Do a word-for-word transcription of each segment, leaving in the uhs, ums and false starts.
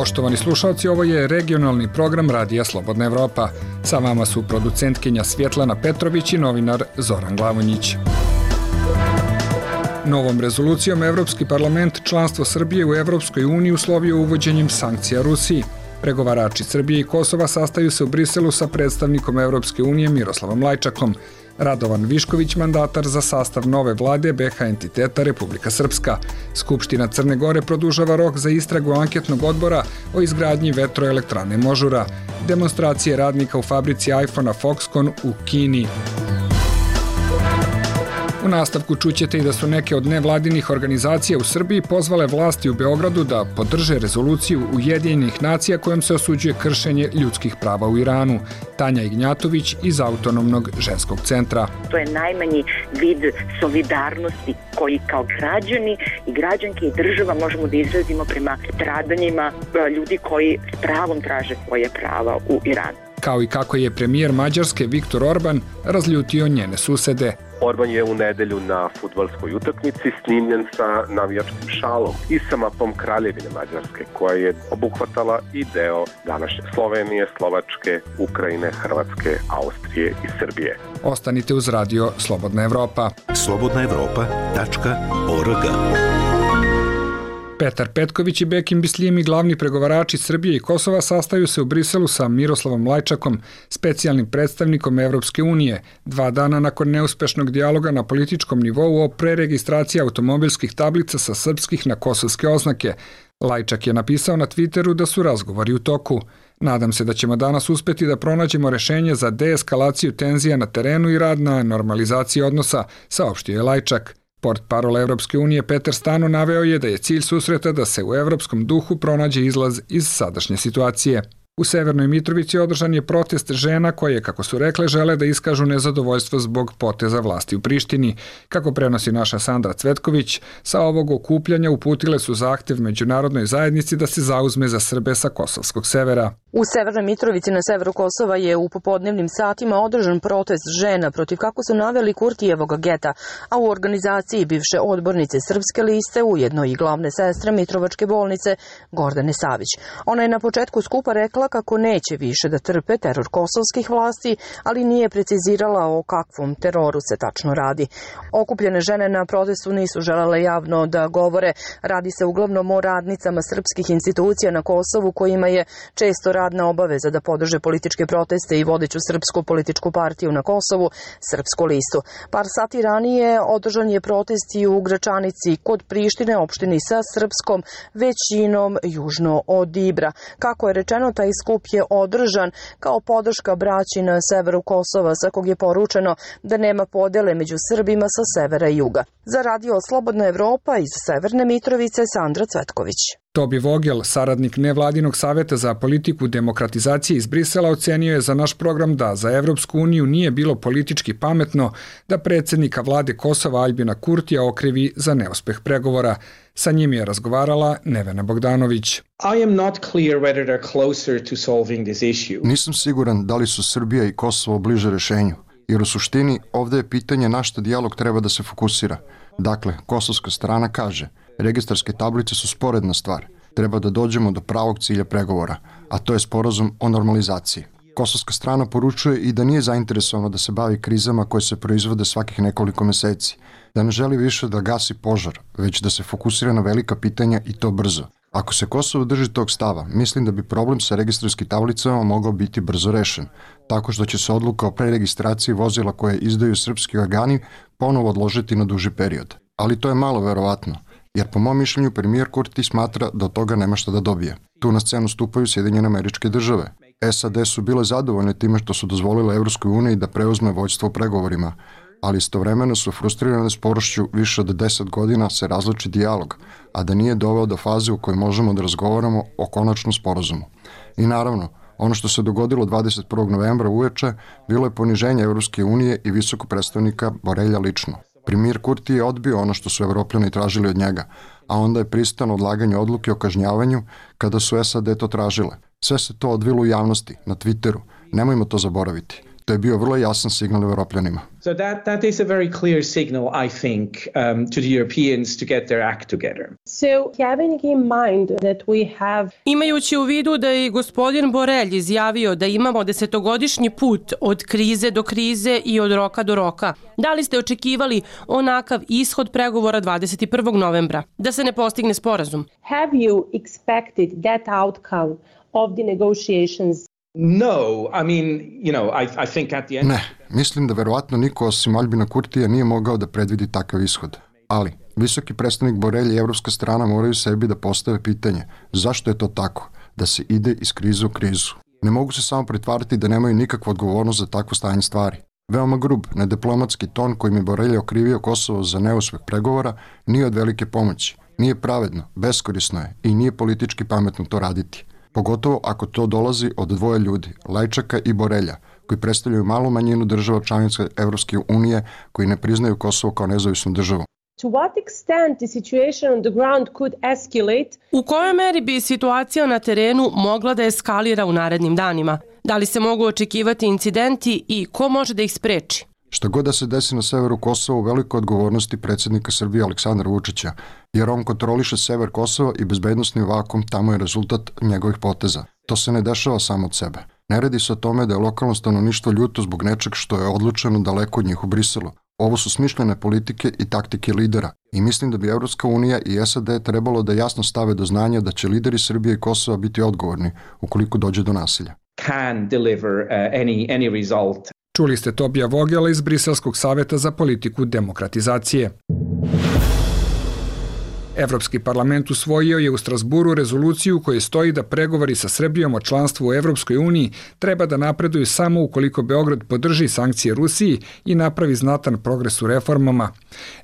Poštovani slušalci, ovo je regionalni program Radija Slobodna Evropa. Sa vama su producentkinja Svjetlana Petrović i novinar Zoran Glavonjić. Novom rezolucijom Evropski parlament članstvo Srbije u Evropskoj uniji uslovio uvođenjem sankcija Rusiji. Pregovarači Srbije i Kosova sastaju se u Briselu sa predstavnikom Evropske unije Miroslavom Lajčakom. Radovan Višković, mandatar za sastav nove vlade B H entiteta Republika Srpska. Skupština Crne Gore produžava rok za istragu anketnog odbora o izgradnji vetroelektrane Možura. Demonstracije radnika u fabrici iPhone-a Foxconn u Kini. U nastavku čućete i da su neke od nevladinih organizacija u Srbiji pozvale vlasti u Beogradu da podrže rezoluciju Ujedinjenih nacija kojom se osuđuje kršenje ljudskih prava u Iranu. Tanja Ignjatović iz Autonomnog ženskog centra. To je najmanji vid solidarnosti koji kao građani i građanke i država možemo da izrazimo prema stradanjima ljudi koji s pravom traže svoje prava u Iranu. Kao i kako je premijer Mađarske Viktor Orban razljutio njene susede. Orban je u nedelju na fudbalskoj utakmici snimljen sa navijačkim šalom i sa mapom Kraljevine Mađarske, koja je obuhvatala i deo današnje Slovenije, Slovačke, Ukrajine, Hrvatske, Austrije i Srbije. Ostanite uz Radio Slobodna Evropa. slobodna evropa tačka org. Petar Petković i Bekim Bislimi, glavni pregovarači Srbije i Kosova, sastaju se u Briselu sa Miroslavom Lajčakom, specijalnim predstavnikom Evropske unije, dva dana nakon neuspešnog dijaloga na političkom nivou o preregistraciji automobilskih tablica sa srpskih na kosovske oznake. Lajčak je napisao na Twitteru da su razgovori u toku. Nadam se da ćemo danas uspeti da pronađemo rešenje za deeskalaciju tenzija na terenu i rad na normalizaciji odnosa, saopštio je Lajčak. Portparol Evropske unije Peter Stano naveo je da je cilj susreta da se u evropskom duhu pronađe izlaz iz sadašnje situacije. U Severnoj Mitrovici održan je protest žena koje, kako su rekle, žele da iskažu nezadovoljstvo zbog poteza vlasti u Prištini. Kako prenosi naša Sandra Cvetković, sa ovog okupljanja uputile su zahtev međunarodnoj zajednici da se zauzme za Srbe sa kosovskog severa. U Severnoj Mitrovici na severu Kosova je u popodnevnim satima održan protest žena protiv, kako su naveli, Kurtijevog geta, a u organizaciji bivše odbornice Srpske liste, ujedno i glavne sestre Mitrovačke bolnice, Gordane Savić. Ona je na početku skupa rekla kako neće više da trpe teror kosovskih vlasti, ali nije precizirala o kakvom teroru se tačno radi. Okupljene žene na protestu nisu želele javno da govore. Radi se uglavnom o radnicama srpskih institucija na Kosovu, kojima je često radna obaveza da podrže političke proteste i vodeću srpsku političku partiju na Kosovu, Srpsku listu. Par sati ranije održan je protest i u Gračanici kod Prištine, opštini sa srpskom većinom južno od Ibra. Kako je rečeno, taj skup je održan kao podrška braći na severu Kosova, sa kog je poručeno da nema podele među Srbima sa severa i juga. Za Radio Slobodna Evropa iz Severne Mitrovice, Sandra Cvetković. Tobi Vogel, saradnik nevladinog saveta za politiku demokratizacije iz Brisela, ocenio je za naš program da za Evropsku uniju nije bilo politički pametno da predsjednika vlade Kosova Aljbina Kurtija okrivi za neuspeh pregovora. Sa njim je razgovarala Nevena Bogdanović. I am not clear whether they're closer to solving this issue. Nisam siguran da li su Srbija i Kosovo bliže rešenju, jer u suštini ovdje je pitanje na što dijalog treba da se fokusira. Dakle, kosovska strana kaže, registarske tablice su sporedna stvar. Treba da dođemo do pravog cilja pregovora, a to je sporazum o normalizaciji. Kosovska strana poručuje i da nije zainteresovana da se bavi krizama koje se proizvode svakih nekoliko meseci, da ne želi više da gasi požar, već da se fokusira na velika pitanja i to brzo. Ako se Kosovo drži tog stava, mislim da bi problem sa registarskim tablicama mogao biti brzo rešen, tako što će se odluka o preregistraciji vozila koje izdaju srpski organi ponovo odložiti na duži period. Ali to je malo verovatno, jer po mom mišljenju premijer Kurti smatra da od toga nema šta da dobije. Tu na scenu stupaju Sjedinjene Američke Države. S A D su bile zadovoljne time što su dozvolile Evropskoj uniji da preuzme vođstvo u pregovorima, ali istovremeno su frustrirane sporošću više od deset godina se različi dijalog, a da nije doveo do faze u kojoj možemo da razgovaramo o konačnom sporazumu. I naravno, ono što se dogodilo dvadeset prvog novembra uveče bilo je poniženje Evropske unije i visokog predstavnika Borelja lično. Premijer Kurti je odbio ono što su Evropljani tražili od njega, a onda je pristao na odlaganje odluke o kažnjavanju kada su S A D to tražile. Sve se to odvilo u javnosti, na Twitteru. Nemojmo to zaboraviti. To je bio vrlo jasan signal Evropljanima. So that, that is a very clear signal, I think, um, to the Europeans to get their act together. So having in mind that we have... Imajući u vidu da je gospodin Borelj izjavio da imamo desetogodišnji put od krize do krize i od roka do roka, da li ste očekivali onakav ishod pregovora dvadeset prvog novembra, da se ne postigne sporazum? Have you expected that outcome of the negotiations? No, I mean, you know, I, I think at the end... Ne, mislim da verovatno niko osim Albina Kurtija nije mogao da predvidi takav ishod. Ali, visoki predstavnik Borelj i evropska strana moraju sebi da postave pitanje zašto je to tako, da se ide iz krize u krizu. Ne mogu se samo pretvarati da nemaju nikakvu odgovornost za takvo stanje stvari. Veoma grub, nediplomatski ton kojim je Borelj okrivio Kosovo za neuspeh pregovora nije od velike pomoći. Nije pravedno, beskorisno je i nije politički pametno to raditi. Pogotovo ako to dolazi od dvoje ljudi, Lajčaka i Borelja, koji predstavljaju malu manjinu država članica Evropske unije koji ne priznaju Kosovo kao nezavisnu državu. To what extent the situation on the ground could escalate? U kojoj meri bi situacija na terenu mogla da eskalira u narednim danima? Da li se mogu očekivati incidenti i ko može da ih spreči? Šta god da se desi na severu Kosova u velikoj odgovornosti predsjednika Srbije Aleksandra Vučića, jer on kontroliše sever Kosova i bezbednosni vakum tamo je rezultat njegovih poteza. To se ne dešava samo od sebe. Ne radi se o tome da je lokalno stanovništvo ljuto zbog nečeg što je odlučeno daleko od njih u Briselu. Ovo su smišljene politike i taktike lidera i mislim da bi Evropska unija i S A D trebalo da jasno stave do znanja da će lideri Srbije i Kosova biti odgovorni ukoliko dođe do nasilja. Can deliver uh, any, any result. Čuli ste Tobija Vogela iz Briselskog saveta za politiku demokratizacije. Evropski parlament usvojio je u Strasburu rezoluciju u kojoj stoji da pregovori sa Srbijom o članstvu u Evropskoj uniji treba da napreduju samo ukoliko Beograd podrži sankcije Rusiji i napravi znatan progres u reformama.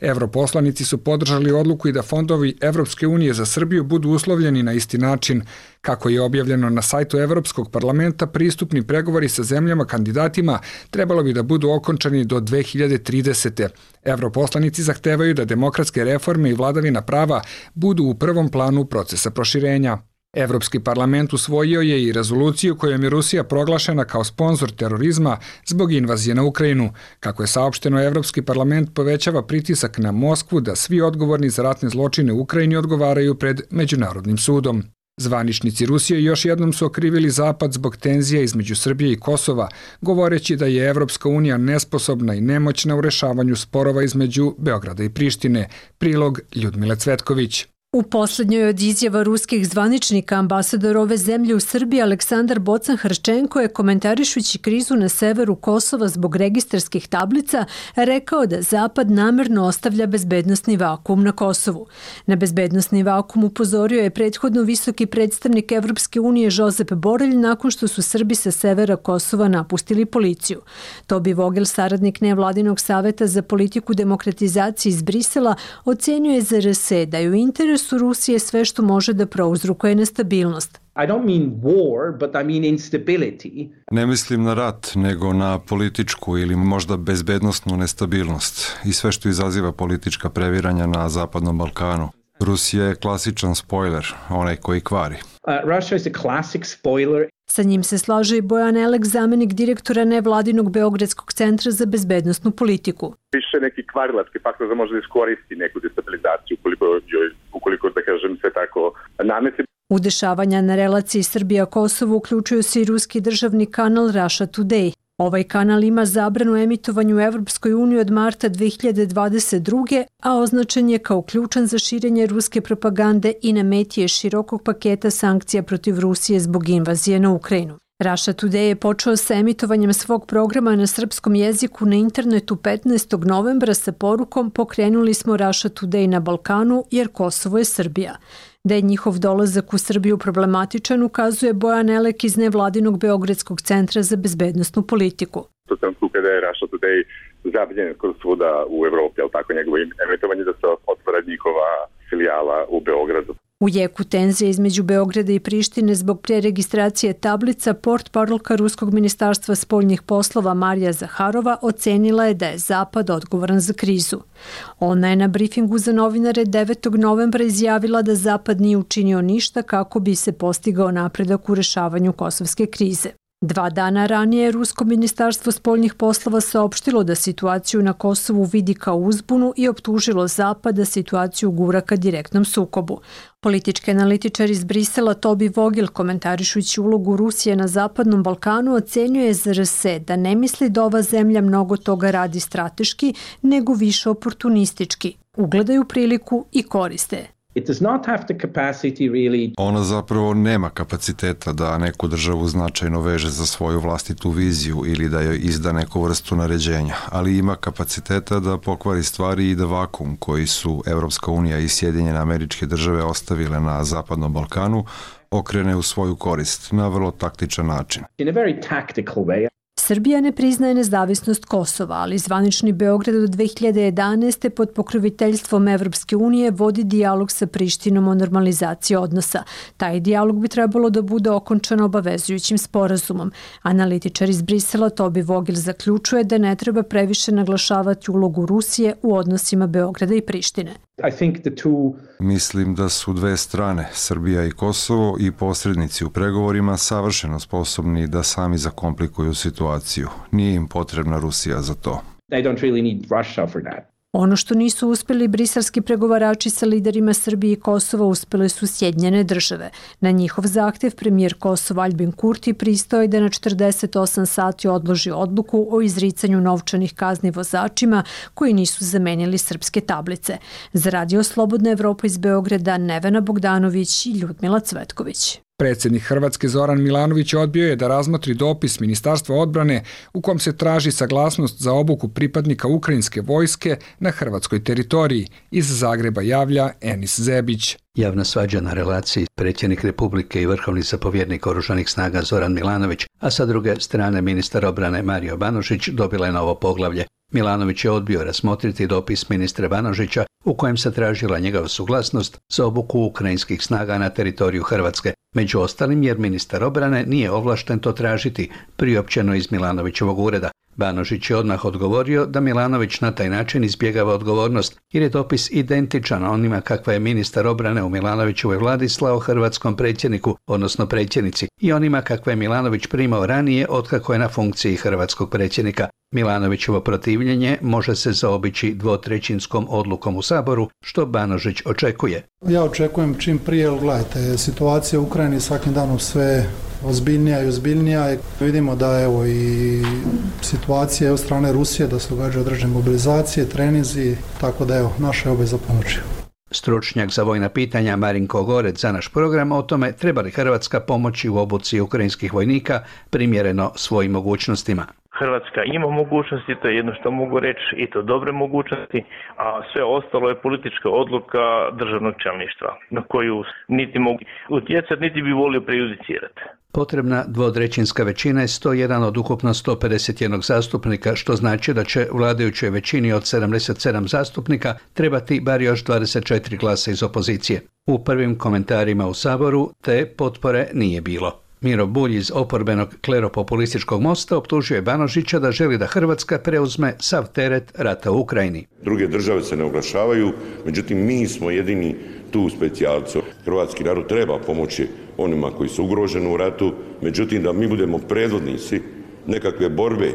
Evroposlanici su podržali odluku i da fondovi Evropske unije za Srbiju budu uslovljeni na isti način. Kako je objavljeno na sajtu Evropskog parlamenta, pristupni pregovori sa zemljama kandidatima trebalo bi da budu okončani do dve hiljade tridesete. Evroposlanici zahtevaju da demokratske reforme i vladavina prava budu u prvom planu procesa proširenja. Evropski parlament usvojio je i rezoluciju kojom je Rusija proglašena kao sponzor terorizma zbog invazije na Ukrajinu. Kako je saopšteno, Evropski parlament povećava pritisak na Moskvu da svi odgovorni za ratne zločine u Ukrajini odgovaraju pred Međunarodnim sudom. Zvaničnici Rusije još jednom su okrivili Zapad zbog tenzija između Srbije i Kosova, govoreći da je Evropska unija nesposobna i nemoćna u rešavanju sporova između Beograda i Prištine. Prilog Ljudmile Cvetković. U poslednjoj od izjava ruskih zvaničnika ambasador ove zemlje u Srbiji Aleksandar Bocan-Hrščenko je komentarišući krizu na severu Kosova zbog registarskih tablica rekao da Zapad namerno ostavlja bezbednosni vakuum na Kosovu. Na bezbednosni vakuum upozorio je prethodno visoki predstavnik Evropske unije Josep Borelj nakon što su Srbi sa severa Kosova napustili policiju. Tobi Vogel, saradnik nevladinog saveta za politiku demokratizacije iz Brisela, ocenio je za R S da je u interesu su Rusije sve što može da prouzrokuje nestabilnost. I don't mean war, but I mean instability. Ne mislim na rat, nego na političku ili možda bezbednosnu nestabilnost i sve što izaziva politička previranja na Zapadnom Balkanu. Rusija je klasičan spojler, onaj koji kvari. Uh, Russia is a classic spoiler. Sa njim se slaže i Bojan Elek, zamenik direktora nevladinog Beogradskog centra za bezbednosnu politiku. Više neki kvarilački faktor da može da iskoristi neku destabilizaciju ukoliko, ukoliko da kažem, se tako namesi. U dešavanja na relaciji Srbija-Kosovo uključuju se i ruski državni kanal Russia Today. Ovaj kanal ima zabranu emitovanju u Evropskoj uniji od marta dve hiljade dvadeset druge. a označen je kao ključan za širenje ruske propagande i na meti je širokog paketa sankcija protiv Rusije zbog invazije na Ukrajinu. Russia Today je počeo sa emitovanjem svog programa na srpskom jeziku na internetu petnaestog novembra sa porukom "Pokrenuli smo Russia Today na Balkanu jer Kosovo je Srbija". Da je njihov dolazak u Srbiju problematičan ukazuje Bojan Elek iz nevladinog Beogradskog centra za bezbednosnu politiku. To sam tu kada je Russia Today zabiljen skoro svuda u Evropi, ali tako njegovo emitovanje da se otvara njihova filijala u Beogradu. U jeku tenzije između Beograda i Prištine zbog preregistracije tablica portparolka Ruskog ministarstva spoljnih poslova Marija Zaharova ocenila je da je Zapad odgovoran za krizu. Ona je na brifingu za novinare devetog novembra izjavila da Zapad nije učinio ništa kako bi se postigao napredak u rešavanju kosovske krize. Dva dana ranije Rusko ministarstvo spoljnih poslova saopštilo da situaciju na Kosovu vidi kao uzbunu i optužilo Zapad da situaciju gura ka direktnom sukobu. Politički analitičar iz Brisela Toby Vogel, komentarišući ulogu Rusije na Zapadnom Balkanu, ocenjuje Z R S da ne misli da ova zemlja mnogo toga radi strateški, nego više oportunistički. Ugledaju priliku i koriste. It does not have the capacity really... Ona zapravo nema kapaciteta da neku državu značajno veže za svoju vlastitu viziju ili da joj izda neku vrstu naređenja, ali ima kapaciteta da pokvari stvari i da vakum koji su Evropska unija i Sjedinjene Američke Države ostavile na Zapadnom Balkanu okrene u svoju korist na vrlo taktičan način. In a very tactical way. Srbija ne priznaje nezavisnost Kosova, ali zvanični Beograd od dve hiljade jedanaeste pod pokroviteljstvom Evropske unije vodi dijalog sa Prištinom o normalizaciji odnosa. Taj dijalog bi trebalo da bude okončan obavezujućim sporazumom. Analitičar iz Brisela Toby Vogel zaključuje da ne treba previše naglašavati ulogu Rusije u odnosima Beograda i Prištine. I think the two... Mislim da su dve strane, Srbija i Kosovo i posrednici u pregovorima savršeno sposobni da sami zakomplikuju situaciju. Nije im potrebna Rusija za to. They don't really need Russia for that. Ono što nisu uspeli briselski pregovarači sa liderima Srbije i Kosova uspele su Sjedinjene Države. Na njihov zahtev premijer Kosova Aljbin Kurti pristao je da na četrdeset osam sati odloži odluku o izricanju novčanih kazni vozačima koji nisu zamenili srpske tablice. Za Radio Slobodna Evropa iz Beograda Nevena Bogdanović i Ljudmila Cvetković. Predsjednik Hrvatske Zoran Milanović odbio je da razmotri dopis Ministarstva odbrane u kom se traži saglasnost za obuku pripadnika ukrajinske vojske na hrvatskoj teritoriji. Iz Zagreba javlja Enis Zebić. Javna svađa na relaciji predsjednik Republike i vrhovni zapovjednik Oružanih snaga Zoran Milanović, a sa druge strane ministar obrane Mario Banožić dobila je novo poglavlje. Milanović je odbio razmotriti dopis ministra Banožića u kojem se tražila njegova suglasnost za obuku ukrajinskih snaga na teritoriju Hrvatske, među ostalim jer ministar obrane nije ovlašten to tražiti, priopćeno iz Milanovićevog ureda. Banožić je odmah odgovorio da Milanović na taj način izbjegava odgovornost jer je dopis identičan onima kakva je ministar obrane u Milanovićevoj vladi slao hrvatskom predsjedniku, odnosno predsjednici, i onima kakva je Milanović primao ranije otkako je na funkciji hrvatskog predsjednika. Milanovićevo protivljenje može se zaobići dvotrećinskom odlukom u Saboru, što Banožić očekuje. Ja očekujem čim prije, jer gledajte, situacija u Ukrajini svakim danom sve ozbiljnija i ozbiljnija. Vidimo da evo i situacija od strane Rusije, da se događaju određene mobilizacije, treninzi, tako da evo, naša je obveza pomoći. Stručnjak za vojna pitanja Marinko Gorec za naš program o tome treba li Hrvatska pomoći u obuci ukrajinskih vojnika primjereno svojim mogućnostima. Hrvatska ima mogućnosti, to je jedno što mogu reći, i to dobre mogućnosti, a sve ostalo je politička odluka državnog čelništva na koju niti mogu utjecati, niti bi volio prejudicirati. Potrebna dvotrećinska većina je sto jedan od ukupno sto pedeset jedan zastupnika, što znači da će vladajućoj većini od sedamdeset sedam zastupnika trebati bar još dvadeset četiri glasa iz opozicije. U prvim komentarima u Saboru te potpore nije bilo. Miro Bulj iz oporbenog kleropopulističkog Mosta optužio je Banožića da želi da Hrvatska preuzme sav teret rata u Ukrajini. Druge države se ne oglašavaju, međutim mi smo jedini tu specijalci. Hrvatski narod treba pomoći onima koji su ugroženi u ratu, međutim da mi budemo predvodnici nekakve borbe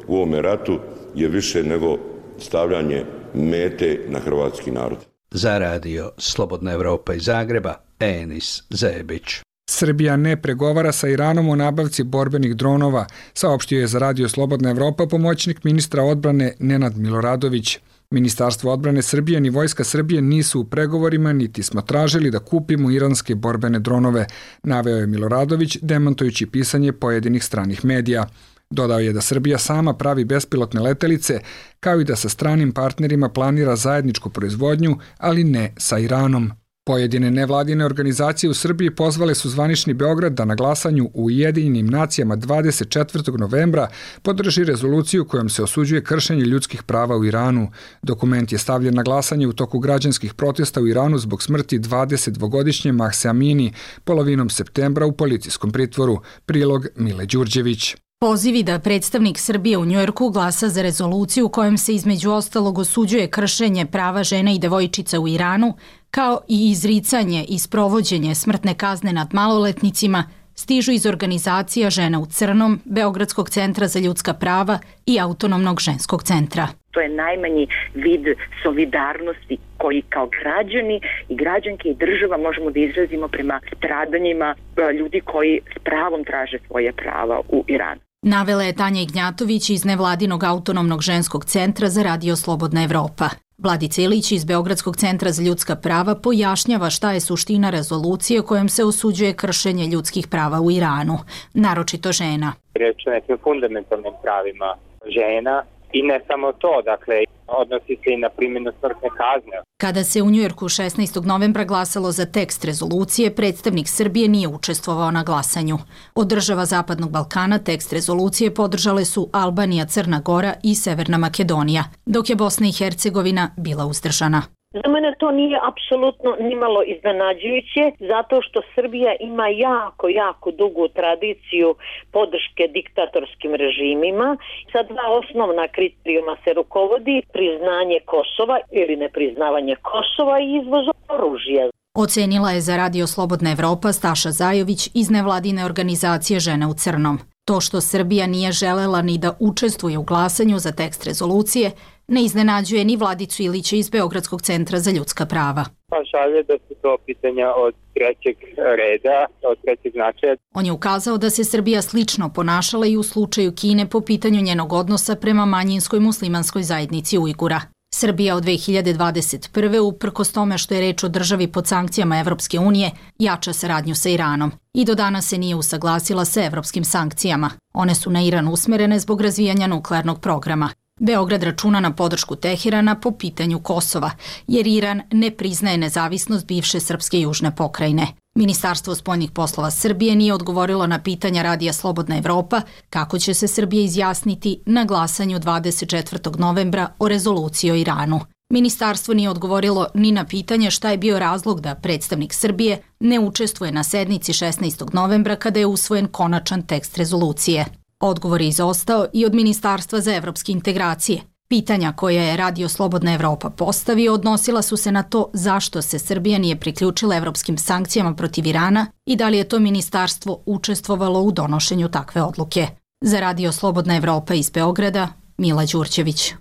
u ovome ratu je više nego stavljanje mete na hrvatski narod. Za Radio Slobodna Evropa iz Zagreba, Enis Zebić. Srbija ne pregovara sa Iranom o nabavci borbenih dronova, saopštio je za Radio Slobodna Evropa pomoćnik ministra odbrane Nenad Miloradović. Ministarstvo odbrane Srbije ni Vojska Srbije nisu u pregovorima, niti smo tražili da kupimo iranske borbene dronove, naveo je Miloradović, demantujući pisanje pojedinih stranih medija. Dodao je da Srbija sama pravi bespilotne letelice, kao i da sa stranim partnerima planira zajedničku proizvodnju, ali ne sa Iranom. Pojedine nevladine organizacije u Srbiji pozvale su zvanični Beograd da na glasanju u Ujedinjenim nacijama dvadeset četvrtog novembra podrži rezoluciju kojom se osuđuje kršenje ljudskih prava u Iranu. Dokument je stavljen na glasanje u toku građanskih protesta u Iranu zbog smrti dvadesetdvogodišnje Mahse Amini polovinom septembra u policijskom pritvoru. Prilog Mile Đurđević. Pozivi da predstavnik Srbije u Njujorku glasa za rezoluciju u kojem se između ostalog osuđuje kršenje prava žena i devojčica u Iranu, kao i izricanje i sprovođenje smrtne kazne nad maloletnicima, stižu iz organizacija Žena u crnom, Beogradskog centra za ljudska prava i Autonomnog ženskog centra. To je najmanji vid solidarnosti koji kao građani i građanke i država možemo da izrazimo prema stradanjima ljudi koji s pravom traže svoje prava u Iranu. Navela je Tanja Ignjatović iz nevladinog Autonomnog ženskog centra za Radio Slobodna Evropa. Vladica Ilić iz Beogradskog centra za ljudska prava pojašnjava šta je suština rezolucije kojom se osuđuje kršenje ljudskih prava u Iranu, naročito žena. Reč o nekim fundamentalnim pravima žena i ne samo to, dakle, odnosi se i na primjenu smrtne kazne. Kada se u Njujorku šesnaestog novembra glasalo za tekst rezolucije, predstavnik Srbije nije učestvovao na glasanju. Od država Zapadnog Balkana tekst rezolucije podržale su Albanija, Crna Gora i Severna Makedonija, dok je Bosna i Hercegovina bila uzdržana. Za mene to nije apsolutno nimalo iznenađujuće, zato što Srbija ima jako, jako dugu tradiciju podrške diktatorskim režimima. Sa dva osnovna kriterijuma se rukovodi: priznanje Kosova ili nepriznavanje Kosova i izvoz oružja. Ocenila je za Radio Slobodna Evropa Staša Zajović iz nevladine organizacije Žene u crnom. To što Srbija nije želela ni da učestvuje u glasanju za tekst rezolucije ne iznenađuje ni Vladicu Ilića iz Beogradskog centra za ljudska prava. Pa šalje da su to pitanja od trećeg reda, od trećeg značaja. On je ukazao da se Srbija slično ponašala i u slučaju Kine po pitanju njenog odnosa prema manjinskoj muslimanskoj zajednici Ujgura. Srbija od dve hiljade dvadeset prve uprkos tome što je reč o državi pod sankcijama Evropske unije, jača saradnju sa Iranom i do danas se nije usaglasila sa evropskim sankcijama. One su na Iran usmerene zbog razvijanja nuklearnog programa. Beograd računa na podršku Teherana po pitanju Kosova, jer Iran ne priznaje nezavisnost bivše srpske južne pokrajine. Ministarstvo spoljnih poslova Srbije nije odgovorilo na pitanja Radija Slobodna Evropa kako će se Srbija izjasniti na glasanju dvadeset četvrtog novembra o rezoluciji o Iranu. Ministarstvo nije odgovorilo ni na pitanje šta je bio razlog da predstavnik Srbije ne učestvuje na sednici šesnaestog novembra kada je usvojen konačan tekst rezolucije. Odgovor je izostao i od Ministarstva za evropske integracije. Pitanja koja je Radio Slobodna Evropa postavio odnosila su se na to zašto se Srbija nije priključila evropskim sankcijama protiv Irana i da li je to ministarstvo učestvovalo u donošenju takve odluke. Za Radio Slobodna Evropa iz Beograda, Mila Đurđević.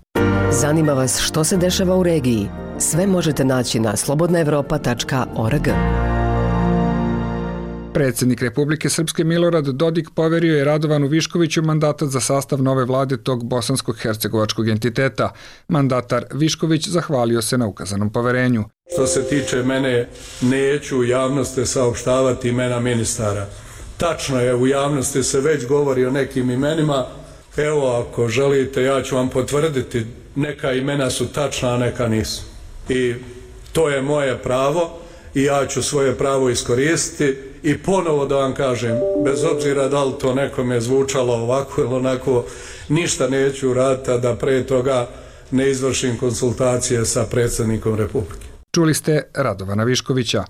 Zanima vas što se dešava u regiji? Sve možete naći na slobodna evropa tačka org. Predsjednik Republike Srpske Milorad Dodik poverio je Radovanu Viškoviću mandatat za sastav nove vlade tog bosansko-hercegovačkog entiteta. Mandatar Višković zahvalio se na ukazanom poverenju. Što se tiče mene, neću u javnosti saopštavati imena ministara. Tačno je, u javnosti se već govori o nekim imenima. Evo, ako želite, ja ću vam potvrditi, neka imena su tačna, a neka nisu. I to je moje pravo i ja ću svoje pravo iskoristiti i ponovo da vam kažem, bez obzira da li to nekome zvučalo ovako ili onako, ništa neću uraditi, a da pre toga ne izvršim konsultacije sa predsjednikom Republike. Čuli ste Radovana Viškovića.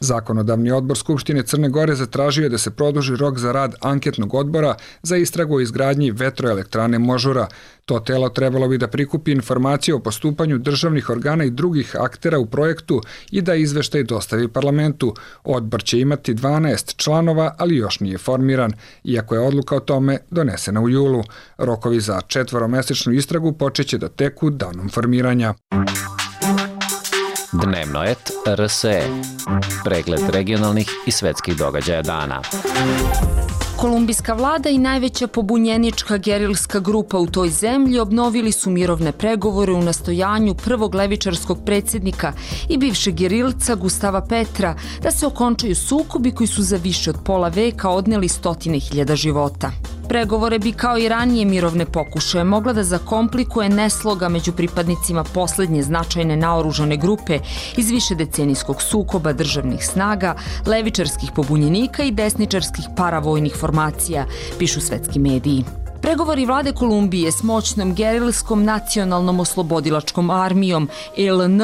Zakonodavni odbor Skupštine Crne Gore zatražio je da se produži rok za rad anketnog odbora za istragu o izgradnji vetroelektrane Možura. To telo trebalo bi da prikupi informacije o postupanju državnih organa i drugih aktera u projektu i da izveštaj dostavi parlamentu. Odbor će imati dvanaest članova, ali još nije formiran, iako je odluka o tome donesena u julu. Rokovi za četvoromesečnu istragu počeće da teku danom formiranja. Dnevnoet R S E. Pregled regionalnih i svetskih događaja dana. Kolumbijska vlada i najveća pobunjenička gerilska grupa u toj zemlji obnovili su mirovne pregovore u nastojanju prvog levičarskog predsjednika i bivšeg gerilca Gustava Petra da se okončaju sukobi koji su za više od pola veka odneli stotine hiljada života. Pregovore bi kao i ranije mirovne pokušaje mogla da zakomplikuje nesloga među pripadnicima poslednje značajne naoružane grupe iz višedecenijskog sukoba državnih snaga, levičarskih pobunjenika i desničarskih paravojnih formacija, pišu svetski mediji. Pregovori vlade Kolumbije s moćnom gerilskom nacionalnom oslobodilačkom armijom L N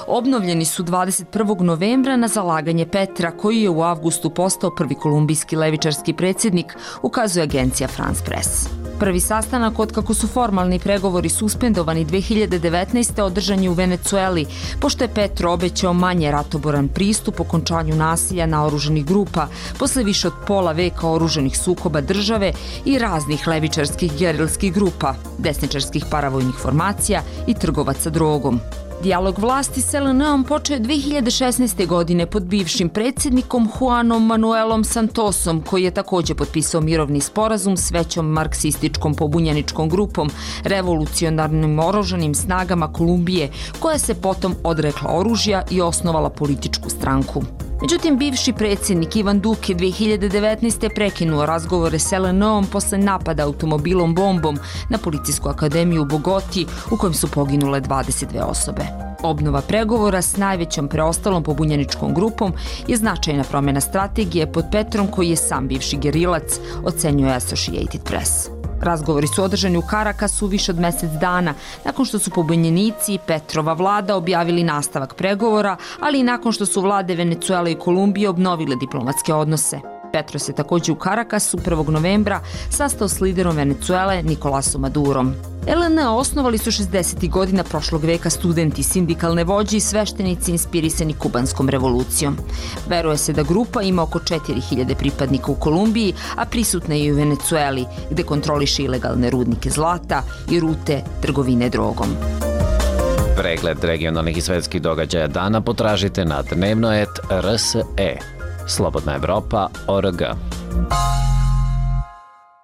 obnovljeni su dvadeset prvog novembra na zalaganje Petra, koji je u avgustu postao prvi kolumbijski levičarski predsjednik, ukazuje agencija France Press. Prvi sastanak od kako su formalni pregovori suspendovani dve hiljade devetnaeste. održan je u Venecueli, pošto je Petro obećao manje ratoboran pristup okončanju nasilja naoružanih grupa posle više od pola veka oružanih sukoba države i raznih levičarskih gerilskih grupa, desničarskih paravojnih formacija i trgovaca drogom. Dijalog vlasti s L N-om počeo je dve hiljade šesnaeste. godine pod bivšim predsjednikom Juanom Manuelom Santosom, koji je takođe potpisao mirovni sporazum s većom marksističkom pobunjeničkom grupom, revolucionarnim oružanim snagama Kolumbije, koja se potom odrekla oružja i osnovala političku stranku. Međutim, bivši predsjednik Ivan Duque dve hiljade devetnaeste. prekinuo razgovore s L N-om posle napada automobilom bombom na Policijsku akademiju u Bogoti, u kojem su poginule dvadeset dve osobe. Obnova pregovora s najvećom preostalom pobunjeničkom grupom je značajna promjena strategije pod Petrom, koji je sam bivši gerilac, ocenjuje Associated Press. Razgovori su održani u Karakasu više od mjesec dana, nakon što su pobunjenici i Petrova vlada objavili nastavak pregovora, ali i nakon što su vlade Venecuele i Kolumbije obnovile diplomatske odnose. Petro se također u Karakasu prvog novembra sastao s liderom Venecuele Nikolasom Madurom. L N osnovali su šezdesetih godina prošlog veka studenti, sindikalne vođe i sveštenici inspirisani kubanskom revolucijom. Veruje se da grupa ima oko četiri hiljade pripadnika u Kolumbiji, a prisutna je i u Venecueli, gde kontroliše ilegalne rudnike zlata i rute trgovine drogom. Pregled regionalnih i svetskih događaja dana potražite na dnevnoet R S E. Slobodna Evropa точка org.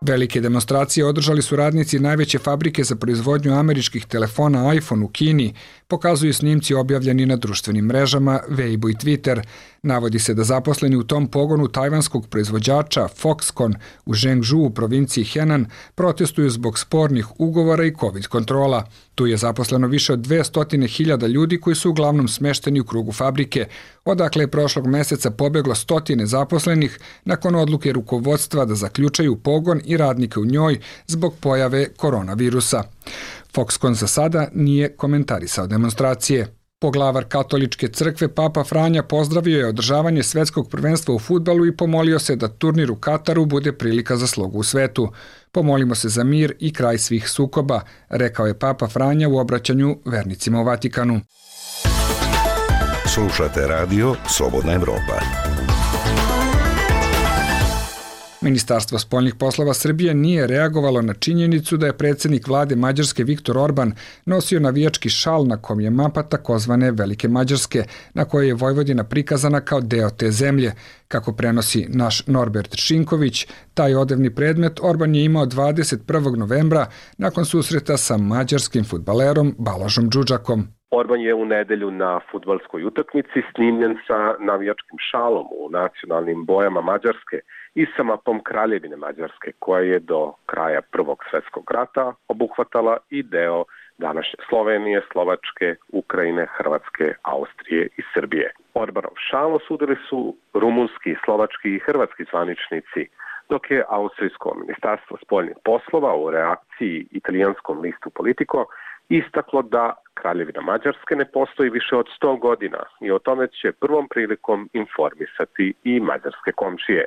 Velike demonstracije održali su radnici najveće fabrike za proizvodnju američkih telefona iPhone u Kini, pokazuju snimci objavljeni na društvenim mrežama Weibo i Twitter. Navodi se da zaposleni u tom pogonu tajvanskog proizvođača Foxconn u Zhengzhou u provinciji Henan protestuju zbog spornih ugovora i COVID kontrola. Tu je zaposleno više od dvesta hiljada ljudi koji su uglavnom smešteni u krugu fabrike, odakle je prošlog meseca pobeglo stotine zaposlenih nakon odluke rukovodstva da zaključaju pogon i radnike u njoj zbog pojave koronavirusa. Foxconn za sada nije komentarisao demonstracije. Poglavar katoličke crkve Papa Franja pozdravio je održavanje svetskog prvenstva u fudbalu i pomolio se da turnir u Kataru bude prilika za slogu u svetu. Pomolimo se za mir i kraj svih sukoba, rekao je Papa Franja u obraćanju vernicima u Vatikanu. Slušate radio Slobodna Evropa. Ministarstvo spoljnih poslova Srbije nije reagovalo na činjenicu da je predsjednik vlade Mađarske Viktor Orban nosio navijački šal na kom je mapa takozvane Velike Mađarske, na kojoj je Vojvodina prikazana kao deo te zemlje. Kako prenosi naš Norbert Šinković, taj odevni predmet Orban je imao dvadeset prvog novembra nakon susreta sa mađarskim fudbalerom Balažom Đuđakom. Orban je u nedelju na fudbalskoj utakmici snimljen sa navijačkim šalom u nacionalnim bojama Mađarske i sa mapom Kraljevine Mađarske, koja je do kraja Prvog svjetskog rata obuhvatala i deo današnje Slovenije, Slovačke, Ukrajine, Hrvatske, Austrije i Srbije. Orbanov šal osudili su rumunski, slovački i hrvatski zvaničnici, dok je austrijsko ministarstvo spoljnih poslova u reakciji italijanskom listu Politico istaklo da Kraljevina Mađarske ne postoji više od sto godina i o tome će prvom prilikom informisati i mađarske komšije.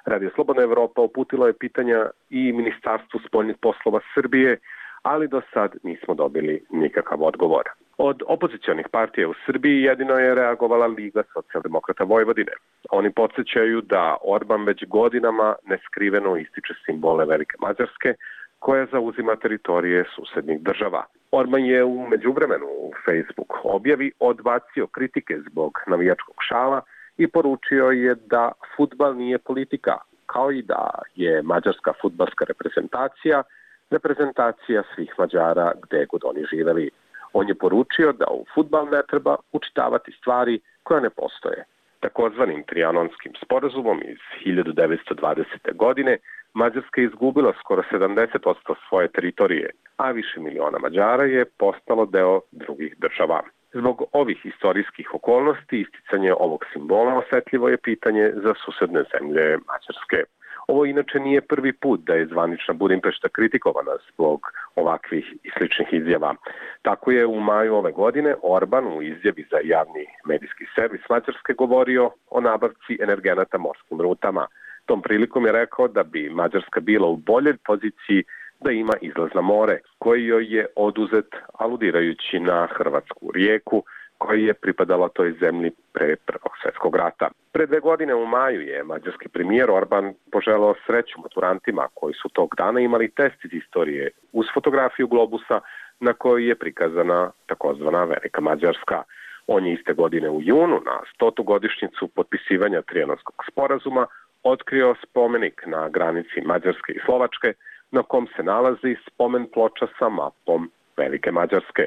Radio Slobodna Evropa uputilo je pitanja i Ministarstvu spoljnih poslova Srbije, ali do sad nismo dobili nikakav odgovor. Od opozicionih partija u Srbiji jedino je reagovala Liga socijaldemokrata Vojvodine. Oni podsjećaju da Orban već godinama neskriveno ističe simbole Velike Mađarske, koja zauzima teritorije susednih država. Orban je u međuvremenu u Facebook objavi odbacio kritike zbog navijačkog šala i poručio je da fudbal nije politika, kao i da je mađarska fudbalska reprezentacija reprezentacija svih Mađara gde god oni živeli. On je poručio da u fudbal ne treba učitavati stvari koje ne postoje. Takozvanim trijanonskim sporazumom iz hiljadu devetsto dvadesete. godine Mađarska je izgubila skoro sedamdeset posto svoje teritorije, a više miliona Mađara je postalo deo drugih država. Zbog ovih istorijskih okolnosti isticanje ovog simbola osetljivo je pitanje za susedne zemlje Mađarske. Ovo inače nije prvi put da je zvanična Budimpešta kritikovana zbog ovakvih i sličnih izjava. Tako je u maju ove godine Orban u izjavi za javni medijski servis Mađarske govorio o nabavci energenata morskim rutama. Tom prilikom je rekao da bi Mađarska bila u boljoj poziciji da ima izlaz na more, koji joj je oduzet aludirajući na hrvatsku rijeku, koja je pripadala toj zemlji pre Prvog svjetskog rata. Pre dve godine u maju je mađarski premijer Orban poželao sreću maturantima koji su tog dana imali test iz istorije uz fotografiju globusa na kojoj je prikazana takozvana Velika Mađarska. On je iste godine u junu na stotu godišnjicu potpisivanja Trijanonskog sporazuma otkrio spomenik na granici Mađarske i Slovačke na kom se nalazi spomen ploča sa mapom Velike Mađarske.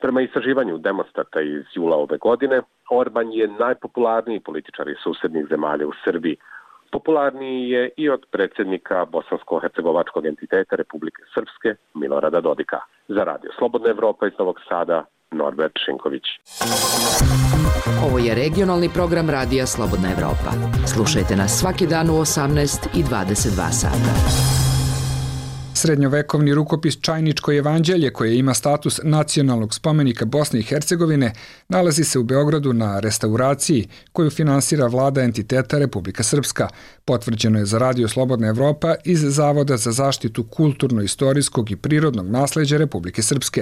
Prema istraživanju Demostata iz jula ove godine, Orban je najpopularniji političar iz susednih zemalja u Srbiji. Popularniji je i od predsjednika bosansko-hercegovačkog entiteta Republike Srpske Milorada Dodika. Za Radio Slobodna Evropa iz Novog Sada, Norbert Šinković. Ovo je regionalni program Radija Slobodna Evropa. Slušajte nas svaki dan u osamnaest i dvadeset dva sata. Srednjovekovni rukopis Čajničko evanđelje, koje ima status nacionalnog spomenika Bosne i Hercegovine, nalazi se u Beogradu na restauraciji koju finansira vlada entiteta Republika Srpska. Potvrđeno je za Radio Slobodna Evropa iz Zavoda za zaštitu kulturno-istorijskog i prirodnog nasleđa Republike Srpske.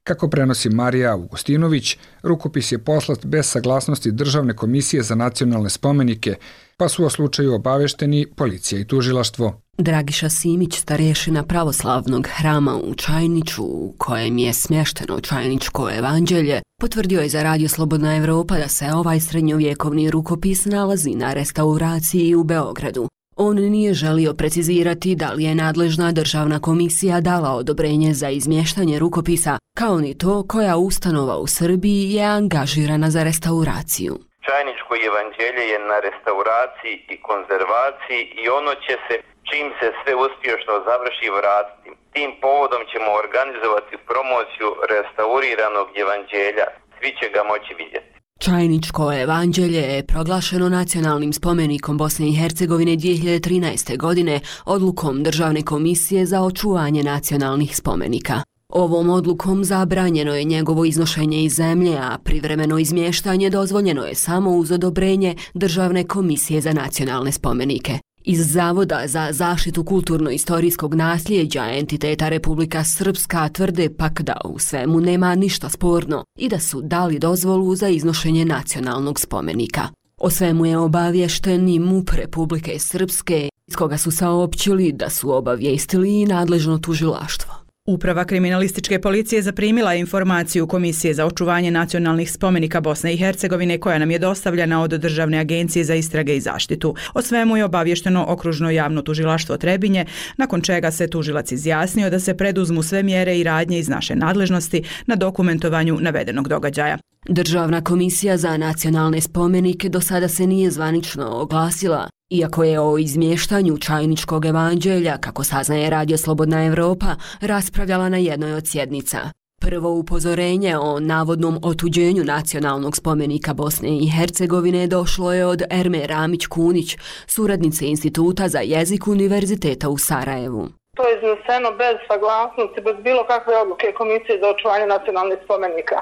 Kako prenosi Marija Augustinović, rukopis je poslat bez saglasnosti Državne komisije za nacionalne spomenike, pa su o slučaju obavešteni policija i tužilaštvo. Dragiša Simić, starješina pravoslavnog hrama u Čajniču, u kojem je smješteno Čajničko evanđelje, potvrdio je za Radio Slobodna Evropa da se ovaj srednjovjekovni rukopis nalazi na restauraciji u Beogradu. On nije želio precizirati da li je nadležna državna komisija dala odobrenje za izmještanje rukopisa, kao ni to koja ustanova u Srbiji je angažirana za restauraciju. Čajničko evanđelje je na restauraciji i konzervaciji i ono će se, čim se sve uspješno završi, vratiti. Tim povodom ćemo organizovati promociju restauriranog evanđelja. Svi će ga moći vidjeti. Čajničko evanđelje je proglašeno nacionalnim spomenikom Bosne i Hercegovine dvije hiljade trinaeste. godine odlukom Državne komisije za očuvanje nacionalnih spomenika. Ovom odlukom zabranjeno je njegovo iznošenje iz zemlje, a privremeno izmještanje dozvoljeno je samo uz odobrenje Državne komisije za nacionalne spomenike. Iz Zavoda za zaštitu kulturno-istorijskog nasljeđa entiteta Republika Srpska tvrde pak da u svemu nema ništa sporno i da su dali dozvolu za iznošenje nacionalnog spomenika. O svemu je obavješten i MUP Republike Srpske, iz koga su saopćili da su obavijestili i nadležno tužilaštvo. Uprava kriminalističke policije zaprimila informaciju Komisije za očuvanje nacionalnih spomenika Bosne i Hercegovine koja nam je dostavljena od Državne agencije za istrage i zaštitu. O svemu je obavješteno Okružno javno tužilaštvo Trebinje, nakon čega se tužilac izjasnio da se preduzmu sve mjere i radnje iz naše nadležnosti na dokumentovanju navedenog događaja. Državna komisija za nacionalne spomenike do sada se nije zvanično oglasila, iako je o izmještanju Čajničkog evanđelja, kako saznaje Radio Slobodna Evropa, raspravljala na jednoj od sjednica. Prvo upozorenje o navodnom otuđenju nacionalnog spomenika Bosne i Hercegovine došlo je od Erme Ramić-Kunić, suradnice Instituta za jezik Univerziteta u Sarajevu. To je izneseno bez saglasnosti, bez bilo kakve odluke Komisije za očuvanje nacionalnih spomenika.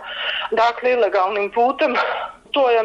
Dakle, ilegalnim putem. To je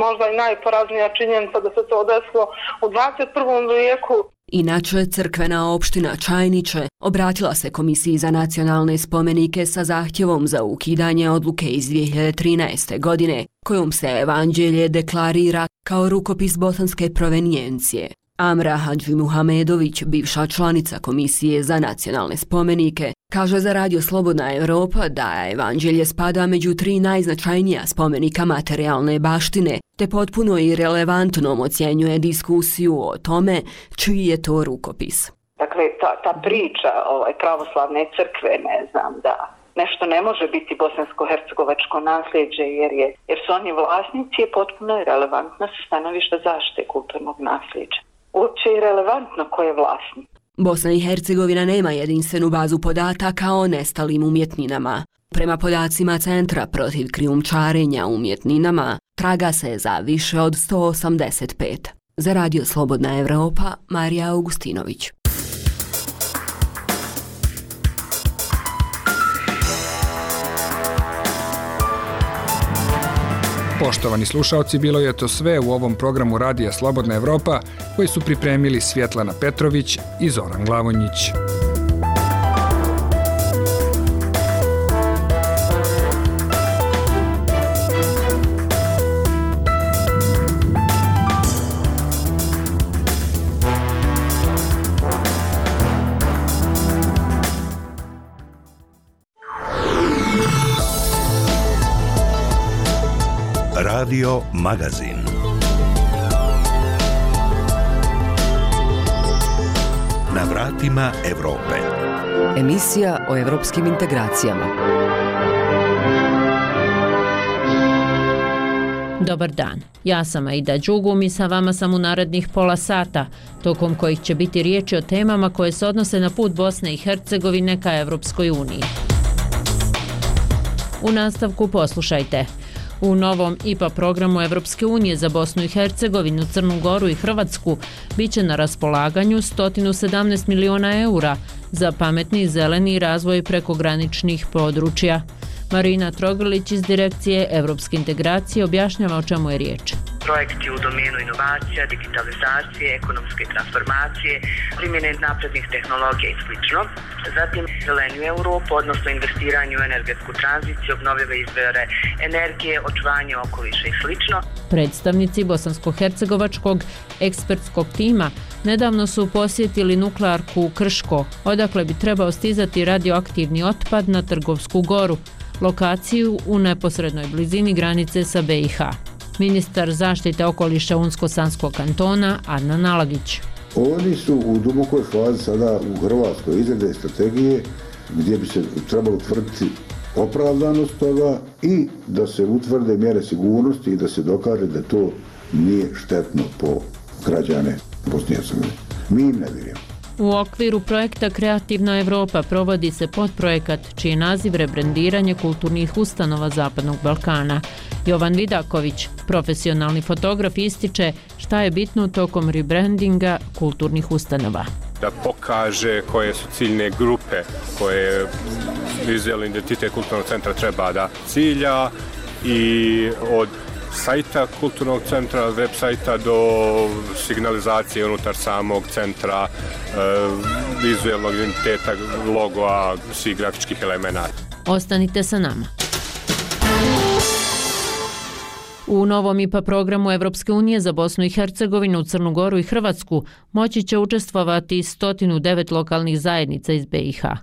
možda i najporaznija činjenica da se to desilo u dvadeset prvom vijeku. Inače, crkvena opština Čajniče obratila se Komisiji za nacionalne spomenike sa zahtjevom za ukidanje odluke iz dvije hiljade trinaeste. godine, kojom se evanđelje deklarira kao rukopis bosanske provenijencije. Amra Hadži Muhamedović, bivša članica Komisije za nacionalne spomenike, kaže za Radio Slobodna Evropa da evanđelje spada među tri najznačajnija spomenika materijalne baštine, te potpuno i relevantnom ocjenjuje diskusiju o tome čiji je to rukopis. Dakle, ta, ta priča ovaj, pravoslavne crkve, ne znam, da nešto ne može biti bosansko-hercegovačko nasljeđe jer, je, jer su oni vlasnici, je potpuno relevantna sa stanovišta zaštite kulturnog nasljeđa. Uopće je relevantno ko je vlasnik. Bosna i Hercegovina nema jedinstvenu bazu podataka o nestalim umjetninama. Prema podacima Centra protiv krijumčarenja umjetninama, traga se za više od sto osamdeset pet. Za Radio Slobodna Evropa, Marija Augustinović. Poštovani slušaoci, bilo je to sve u ovom programu Radija Slobodna Evropa koji su pripremili Svjetlana Petrović i Zoran Glavonjić. Radio Magazin. Na vratima Evrope. Emisija o evropskim integracijama. Dobar dan, ja sam Aida Đugum i sa vama sam u narednih pola sata, tokom kojih će biti riječi o temama koje se odnose na put Bosne i Hercegovine ka Evropskoj uniji. U nastavku poslušajte. U novom I P A programu Evropske unije za Bosnu i Hercegovinu, Crnu Goru i Hrvatsku biće na raspolaganju sto sedamnaest miliona eura za pametni zeleni razvoj prekograničnih područja. Marina Trogrlić iz Direkcije Evropske integracije objašnjava o čemu je riječ. Projekti u domenu inovacija, digitalizacije, ekonomske transformacije, primjene naprednih tehnologija i sl. Zatim zelenju Europu, odnosno investiranje u energetsku tranziciju, obnovljive izvore energije, očuvanje okoliša i sl. Predstavnici bosansko-hercegovačkog ekspertskog tima nedavno su posjetili nuklearku Krško, odakle bi trebao stizati radioaktivni otpad na Trgovsku goru, lokaciju u neposrednoj blizini granice sa B i H. Ministar zaštite okoliša Unsko-Sanskog kantona Adnan Alagić. Oni su u dubokoj fazi sada u Hrvatskoj izrade strategije gdje bi se trebalo utvrditi opravdanost toga i da se utvrde mjere sigurnosti i da se dokaže da to nije štetno po građane Bosne i Hercegovine. Mi im ne vjerujemo. U okviru projekta Kreativna Evropa provodi se podprojekat čiji je naziv rebrendiranje kulturnih ustanova Zapadnog Balkana. Jovan Vidaković, profesionalni fotograf, ističe šta je bitno tokom rebrandinga kulturnih ustanova. Da pokaže koje su ciljne grupe koje vizualni identitet kulturnog centra treba da cilja i od sajta kulturnog centra, web sajta do signalizacije unutar samog centra, e, vizualnog identiteta, logoa, svih grafičkih elemenata. Ostanite sa nama. U novom I P A programu Evropske unije za Bosnu i Hercegovinu, Crnu Goru i Hrvatsku moći će učestvovati sto devet lokalnih zajednica iz B i H.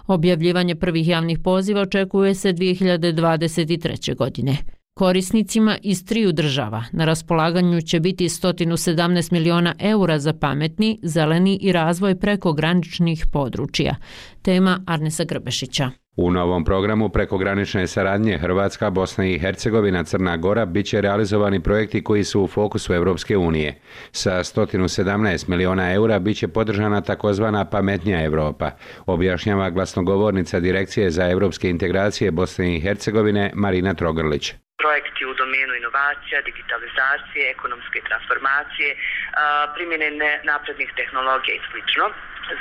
Objavljivanje prvih javnih poziva očekuje se dvije hiljade dvadeset treće. godine. Korisnicima iz triju država na raspolaganju će biti sto sedamnaest miliona eura za pametni, zeleni i razvoj prekograničnih područja. Tema Arnesa Grbešića. U novom programu prekogranične saradnje Hrvatska, Bosna i Hercegovina, Crna Gora biće realizovani projekti koji su u fokusu Evropske unije. Sa sto sedamnaest miliona eura biće podržana takozvana pametnija Evropa, objašnjava glasnogovornica Direkcije za evropske integracije Bosne i Hercegovine Marina Trogrlić. Projekti u domenu inovacija, digitalizacije, ekonomske transformacije, primjene naprednih tehnologija i sl.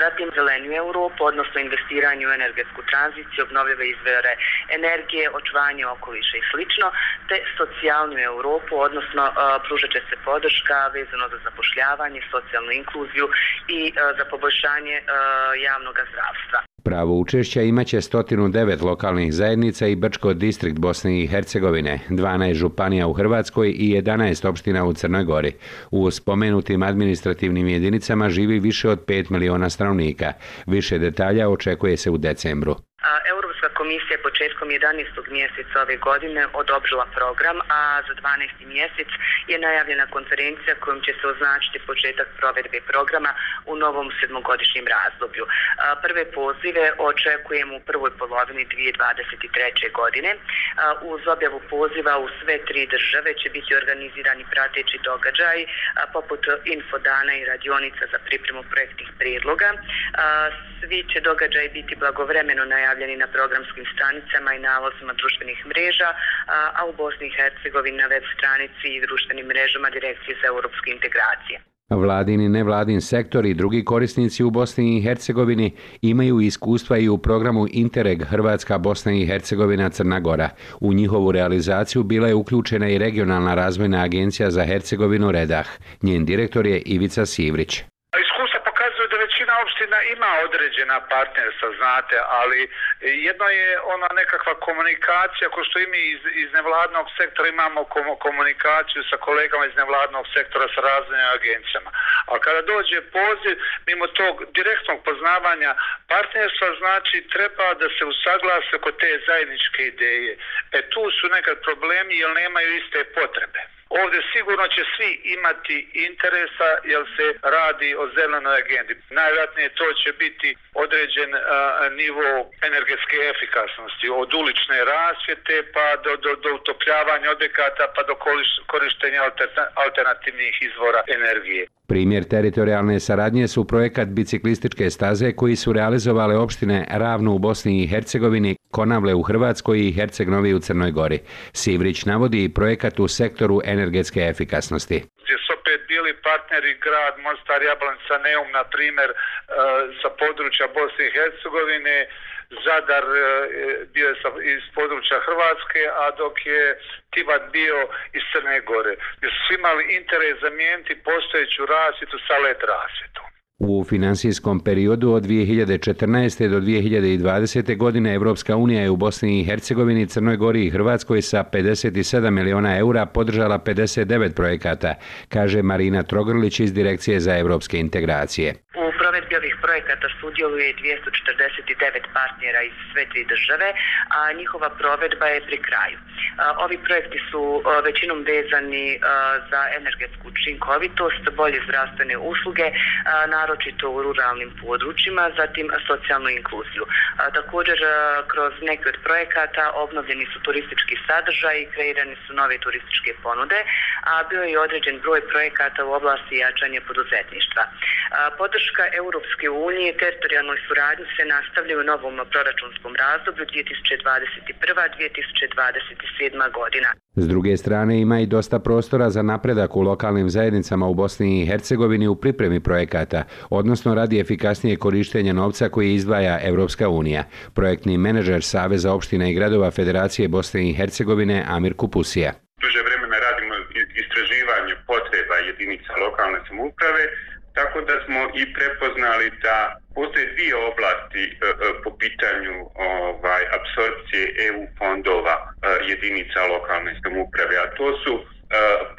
Zatim zelenju Europu, odnosno investiranje u energetsku tranziciju, obnovljive izvore energije, očuvanje okoliša i sl. Te socijalnu Europu, odnosno pružat će se podrška vezano za zapošljavanje, socijalnu inkluziju i za poboljšanje javnog zdravstva. Pravo učešća imaće sto devet lokalnih zajednica i Brčko distrikt Bosne i Hercegovine, dvanaest županija u Hrvatskoj i jedanaest opština u Crnoj Gori. U spomenutim administrativnim jedinicama živi više od pet miliona stanovnika. Više detalja očekuje se u decembru. Europska komisija je početkom jedanaestog mjeseca ove godine odobrila program, a za dvanaesti mjesec je najavljena konferencija kojom će se označiti početak provedbe programa u novom sedmogodišnjem razdoblju. Prve pozive očekujemo u prvoj polovini dvije hiljade dvadeset treće. godine. Uz objavu poziva u sve tri države će biti organizirani prateći događaj poput infodana i radionica za pripremu projektnih prijedloga. Svi će događaji biti blagovremeno najavljeni na programskim stranicama i nalozima društvenih mreža, a u Bosni i Hercegovini na web stranici i društvenim mrežama Direkcije za europske integracije. Vladin i nevladin sektor i drugi korisnici u Bosni i Hercegovini imaju iskustva i u programu Interreg Hrvatska, Bosna i Hercegovina, Crna Gora. U njihovu realizaciju bila je uključena i Regionalna razvojna agencija za Hercegovinu Redah. Njen direktor je Ivica Sivrić. Većina opština ima određena partnerstva, znate, ali jedno je ona nekakva komunikacija, ko što i mi iz, iz nevladnog sektora imamo komunikaciju sa kolegama iz nevladnog sektora sa razvojnim agencijama. A kada dođe poziv, mimo tog direktnog poznavanja partnerstva, znači treba da se usaglase oko te zajedničke ideje. E tu su nekad problemi jer nemaju iste potrebe. Ovdje sigurno će svi imati interesa jer se radi o zelenoj agendi. Najvjerojatnije to će biti određen a, nivo energetske efikasnosti, od ulične rasvjete pa do, do, do utopljavanja objekata pa do korištenja alternativnih izvora energije. Primjer teritorijalne saradnje su projekat biciklističke staze koji su realizovale opštine Ravno u Bosni i Hercegovini, Konavle u Hrvatskoj i Herceg Novi u Crnoj Gori. Sivrić navodi i projekat u sektoru energetske efikasnosti. Gdje su opet bili partneri grad Mostar, Jablanica, Neum, na primjer, sa područja Bosne i Hercegovine, Zadar bio je iz područja Hrvatske, a dok je Tivat bio iz Crne Gore. Gdje su imali interes zamijeniti postojeću rasvjetu sa L E D rasvjetom. U finansijskom periodu od dvije hiljade četrnaeste. do dvije hiljade dvadesete. godine Evropska unija je u Bosni i Hercegovini, Crnoj Gori i Hrvatskoj sa pedeset sedam miliona eura podržala pedeset devet projekata, kaže Marina Trogrlić iz Direkcije za evropske integracije. U provedbi ovih projekata sudjeluje dvjesto četrdeset devet partnera iz sve tri države, a njihova provedba je pri kraju. Ovi projekti su većinom vezani za energetsku učinkovitost, bolje zdravstvene usluge, naročito u ruralnim područjima, zatim socijalnu inkluziju. Također, kroz neke od projekata obnovljeni su turistički sadržaj i kreirane su nove turističke ponude, a bio je određen broj projekata u oblasti jačanja poduzetništva. Podrška Europske unije teritorijalnoj suradnji se nastavlja u novom proračunskom razdoblju dvije tisuće dvadeset prva do dvije tisuće dvadeset sedma. godina. S druge strane ima i dosta prostora za napredak u lokalnim zajednicama u Bosni i Hercegovini u pripremi projekata, odnosno radi efikasnije korištenja novca koji izdvaja Evropska unija. Projektni menadžer Saveza opština i gradova Federacije Bosne i Hercegovine Amir Kupusija. Duže vremena radimo istraživanje potreba jedinica lokalne samouprave, tako da smo i prepoznali da postoje dvije oblasti e, po pitanju ovaj, apsorpcije E U fondova e, jedinica lokalne samouprave, a to su e,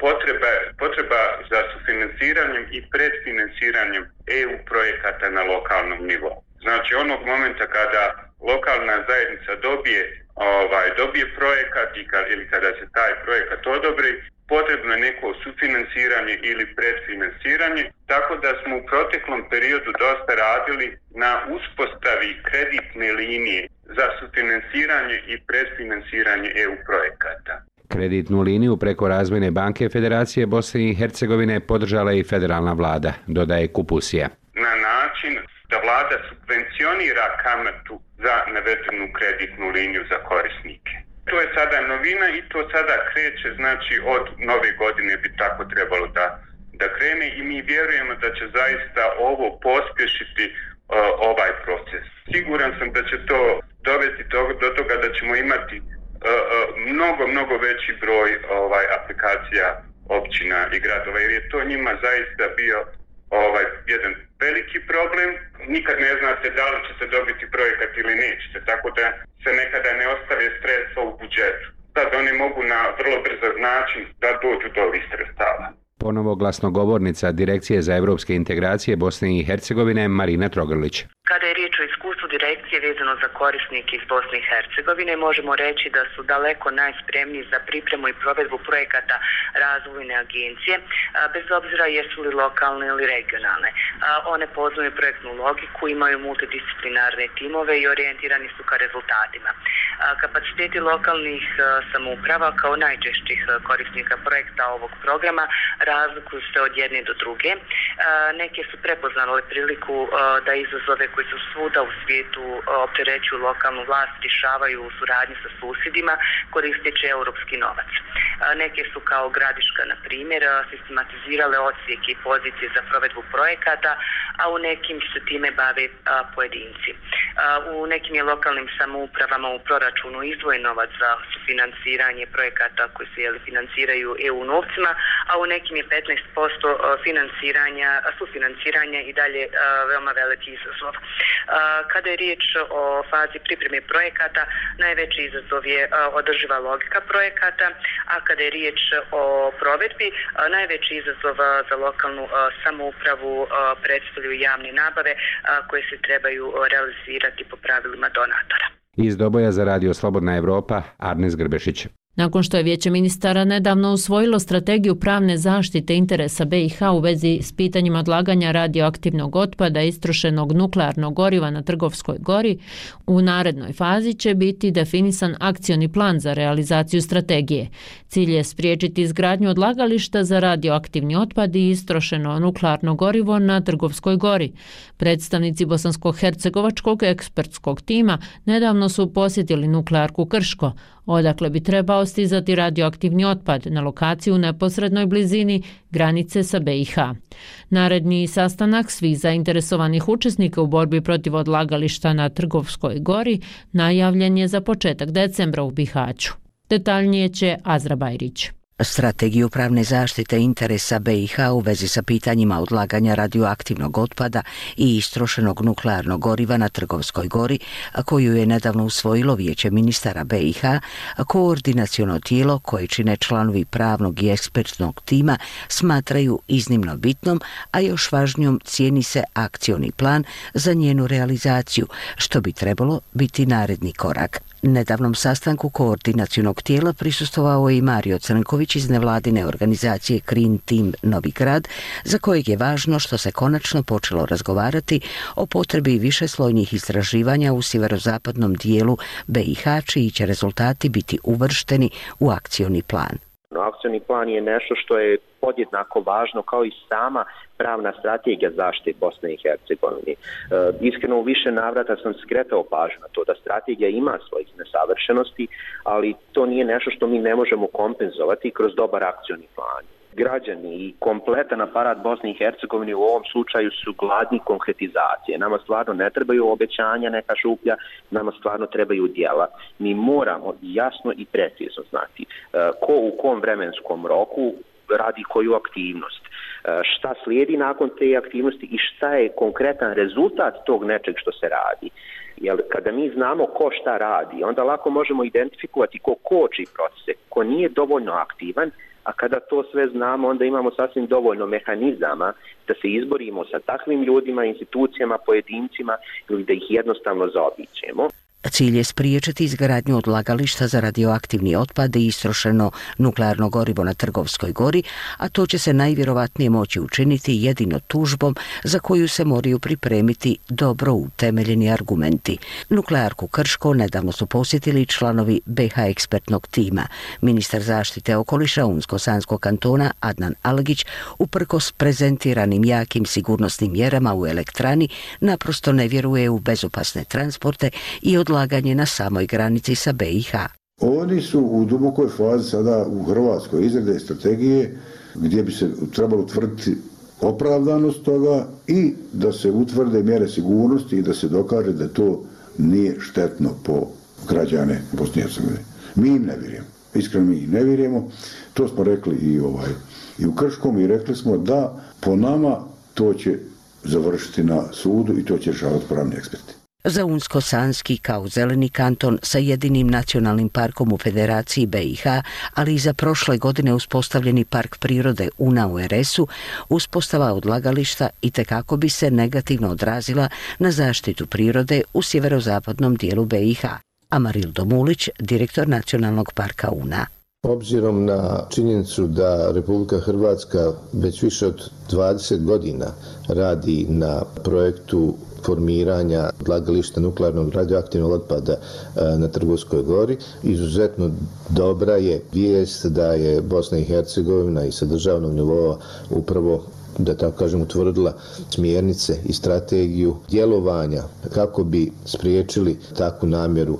potreba, potreba za sufinanciranjem i predfinanciranjem E U projekata na lokalnom nivou. Znači onog momenta kada lokalna zajednica dobije, ovaj, dobije projekat i kad, ili kada se taj projekat odobri, potrebno je neko sufinansiranje ili predfinansiranje, tako da smo u proteklom periodu dosta radili na uspostavi kreditne linije za sufinansiranje i predfinansiranje E U projekata. Kreditnu liniju preko Razvojne banke Federacije Bosne i Hercegovine podržala i federalna vlada, dodaje Kupusija. Na način da vlada subvencionira kamatu za navedenu kreditnu liniju za korisnike. To je sada novina i to sada kreće, znači od nove godine bi tako trebalo da, da krene i mi vjerujemo da će zaista ovo pospješiti uh, ovaj proces. Siguran sam da će to dovesti do, do toga da ćemo imati uh, uh, mnogo, mnogo veći broj ovaj aplikacija općina i gradova, jer je to njima zaista bio ovaj jedan veliki problem. Nikad ne znate da li ćete dobiti projekat ili nećete, tako da se nekada ne ostave sredstva u budžetu. Sad oni mogu na vrlo brzo način da dođu do ovih sredstava. Ponovo glasnogovornica Direkcije za evropske integracije Bosne i Hercegovine Marina Trogrlić. Kada je riječ o iskustvu direkcije vezano za korisnike iz Bosne i Hercegovine, možemo reći da su daleko najspremniji za pripremu i provedbu projekata razvojne agencije, bez obzira jesu li lokalne ili regionalne. One poznaju projektnu logiku, imaju multidisciplinarne timove i orijentirani su ka rezultatima. Kapaciteti lokalnih samouprava kao najčešćih korisnika projekta ovog programa razlikuju se od jedne do druge. Neke su prepoznale priliku da izazove koji su svuda u svijetu opterećuju lokalnu vlast rješavaju u suradnji sa susjedima koristeći europski novac. Neke su kao Gradiška, na primjer, sistematizirale odsjeke i pozicije za provedbu projekata, a u nekim se time bave pojedinci. U nekim je lokalnim samoupravama u proračunu izdvojen novac za sufinanciranje projekata koji se jeli, financiraju E U novcima, a u nekim je petnaest posto financiranja, sufinanciranja i dalje veoma veliki izazov. Kada je riječ o fazi pripreme projekata, najveći izazov je održiva logika projekata, a kada je riječ o provedbi, najveći izazov za lokalnu samoupravu predstavljaju javne nabave koje se trebaju realizirati po pravilima donatora. Iz Doboja za Radio Slobodna Evropa, Arnes Grbešić. Nakon što je Vijeće ministara nedavno usvojilo strategiju pravne zaštite interesa B i H u vezi s pitanjima odlaganja radioaktivnog otpada i istrošenog nuklearnog goriva na Trgovskoj gori, u narednoj fazi će biti definisan akcioni plan za realizaciju strategije. Cilj je spriječiti izgradnju odlagališta za radioaktivni otpad i istrošeno nuklearno gorivo na Trgovskoj gori. Predstavnici bosansko-hercegovačkog ekspertskog tima nedavno su posjetili nuklearku Krško, odakle bi trebao stizati radioaktivni otpad na lokaciju u neposrednoj blizini granice sa B i H. Naredni sastanak svih zainteresovanih učesnika u borbi protiv odlagališta na Trgovskoj gori najavljen je za početak decembra u Bihaću. Detaljnije će Azra Bajrić. Strategiju pravne zaštite interesa B i H u vezi sa pitanjima odlaganja radioaktivnog otpada i istrošenog nuklearnog goriva na Trgovskoj gori, koju je nedavno usvojilo Vijeće ministara B i H, koordinaciono tijelo koje čine članovi pravnog i ekspertnog tima smatraju iznimno bitnom, a još važnijom cijeni se akcioni plan za njenu realizaciju, što bi trebalo biti naredni korak. Nedavnom sastanku koordinacionog tijela prisustvovao je i Mario Crnković iz nevladine organizacije Green Team Novi Grad, za kojeg je važno što se konačno počelo razgovarati o potrebi višeslojnih istraživanja u sjeverozapadnom dijelu B i H, čiji će rezultati biti uvršteni u akcioni plan. Akcioni plan je nešto što je podjednako važno kao i sama pravna strategija zaštite Bosne i Hercegovine. E, iskreno u više navrata sam skretao pažnju na to da strategija ima svojih nesavršenosti, ali to nije nešto što mi ne možemo kompenzovati kroz dobar akcioni plan. Građani i kompletan aparat Bosne i Hercegovine u ovom slučaju su gladni konkretizacije. Nama stvarno ne trebaju obećanja, neka šuplja, nama stvarno trebaju djela. Mi moramo jasno i precizno znati ko u kom vremenskom roku radi koju aktivnost, šta slijedi nakon te aktivnosti i šta je konkretan rezultat tog nečeg što se radi. Jer kada mi znamo ko šta radi, onda lako možemo identifikovati ko koči procese, ko nije dovoljno aktivan, a kada to sve znamo, onda imamo sasvim dovoljno mehanizama da se izborimo sa takvim ljudima, institucijama, pojedincima ili da ih jednostavno zaobiđemo. Cilj je spriječiti izgradnju odlagališta za radioaktivni otpad i istrošeno nuklearno gorivo na Trgovskoj gori, a to će se najvjerovatnije moći učiniti jedino tužbom za koju se moraju pripremiti dobro utemeljeni argumenti. Nuklearku Krško nedavno su posjetili članovi B H ekspertnog tima. Ministar zaštite okoliša Unsko-Sanskog kantona Adnan Algić uprkos prezentiranim jakim sigurnosnim mjerama u elektrani naprosto ne vjeruje u bezopasne transporte i odlagališta odlaganje na samoj granici sa B i H. Oni su u dubokoj fazi sada u Hrvatskoj izrade strategije gdje bi se trebalo utvrditi opravdanost toga i da se utvrde mjere sigurnosti i da se dokaže da to nije štetno po građane Bosne i Hercegovine. Mi im ne vjerujemo. Iskreno mi im ne vjerujemo. To smo rekli i, ovaj, i u Krškom i rekli smo da po nama to će završiti na sudu i to će rješavati pravni eksperti. Za Unsko-Sanski kao zeleni kanton sa jedinim nacionalnim parkom u Federaciji B i H, ali i za prošle godine uspostavljeni park prirode Una u R S-u, uspostava odlagališta itekako bi se negativno odrazila na zaštitu prirode u sjeverozapadnom dijelu B i H. Amaril Domulić, direktor Nacionalnog parka Una. Obzirom na činjenicu da Republika Hrvatska već više od dvadeset godina radi na projektu formiranja odlagališta nuklearnog radioaktivnog otpada na Trgovskoj gori, izuzetno dobra je vijest da je Bosna i Hercegovina i sa državnog nivoa upravo da tako kažem, utvrdila smjernice i strategiju djelovanja kako bi spriječili takvu namjeru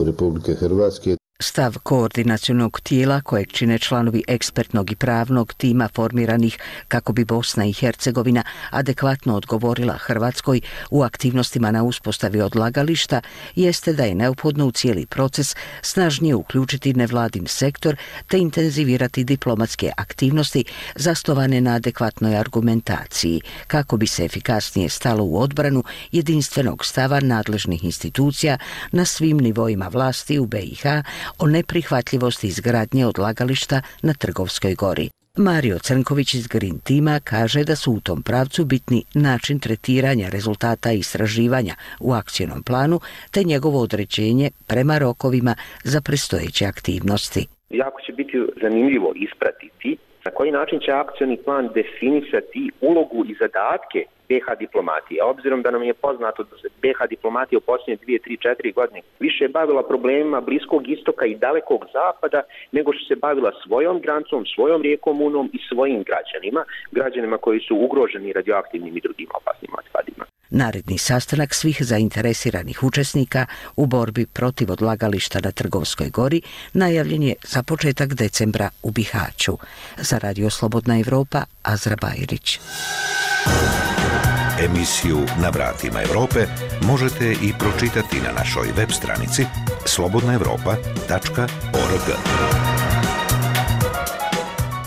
Republike Hrvatske. Stav koordinacionog tijela kojeg čine članovi ekspertnog i pravnog tima formiranih kako bi Bosna i Hercegovina adekvatno odgovorila Hrvatskoj u aktivnostima na uspostavi odlagališta jeste da je neophodno u cijeli proces snažnije uključiti nevladin sektor te intenzivirati diplomatske aktivnosti zasnovane na adekvatnoj argumentaciji kako bi se efikasnije stalo u odbranu jedinstvenog stava nadležnih institucija na svim nivoima vlasti u B i H o neprihvatljivosti izgradnje odlagališta na Trgovskoj gori. Mario Crnković iz Green tima kaže da su u tom pravcu bitni način tretiranja rezultata istraživanja u akcijnom planu te njegovo određenje prema rokovima za predstojeće aktivnosti. Jako će biti zanimljivo ispratiti na koji način će akcijni plan definisati ulogu i zadatke B H diplomatije. A obzirom da nam je poznato da se B H diplomatija u posljednje dvije, tri, četiri godine više bavila problemima Bliskog istoka i dalekog zapada nego što se bavila svojom granicom, svojom rijekom Unom i svojim građanima, građanima koji su ugroženi radioaktivnim i drugim opasnim otpadima. Naredni sastanak svih zainteresiranih učesnika u borbi protiv odlagališta na Trgovskoj gori najavljen je za početak decembra u Bihaću. Za Radio Slobodna Evropa, Azra Bajrić. Emisiju Na vratima Evrope možete i pročitati na našoj web stranici slobodna evropa tačka org.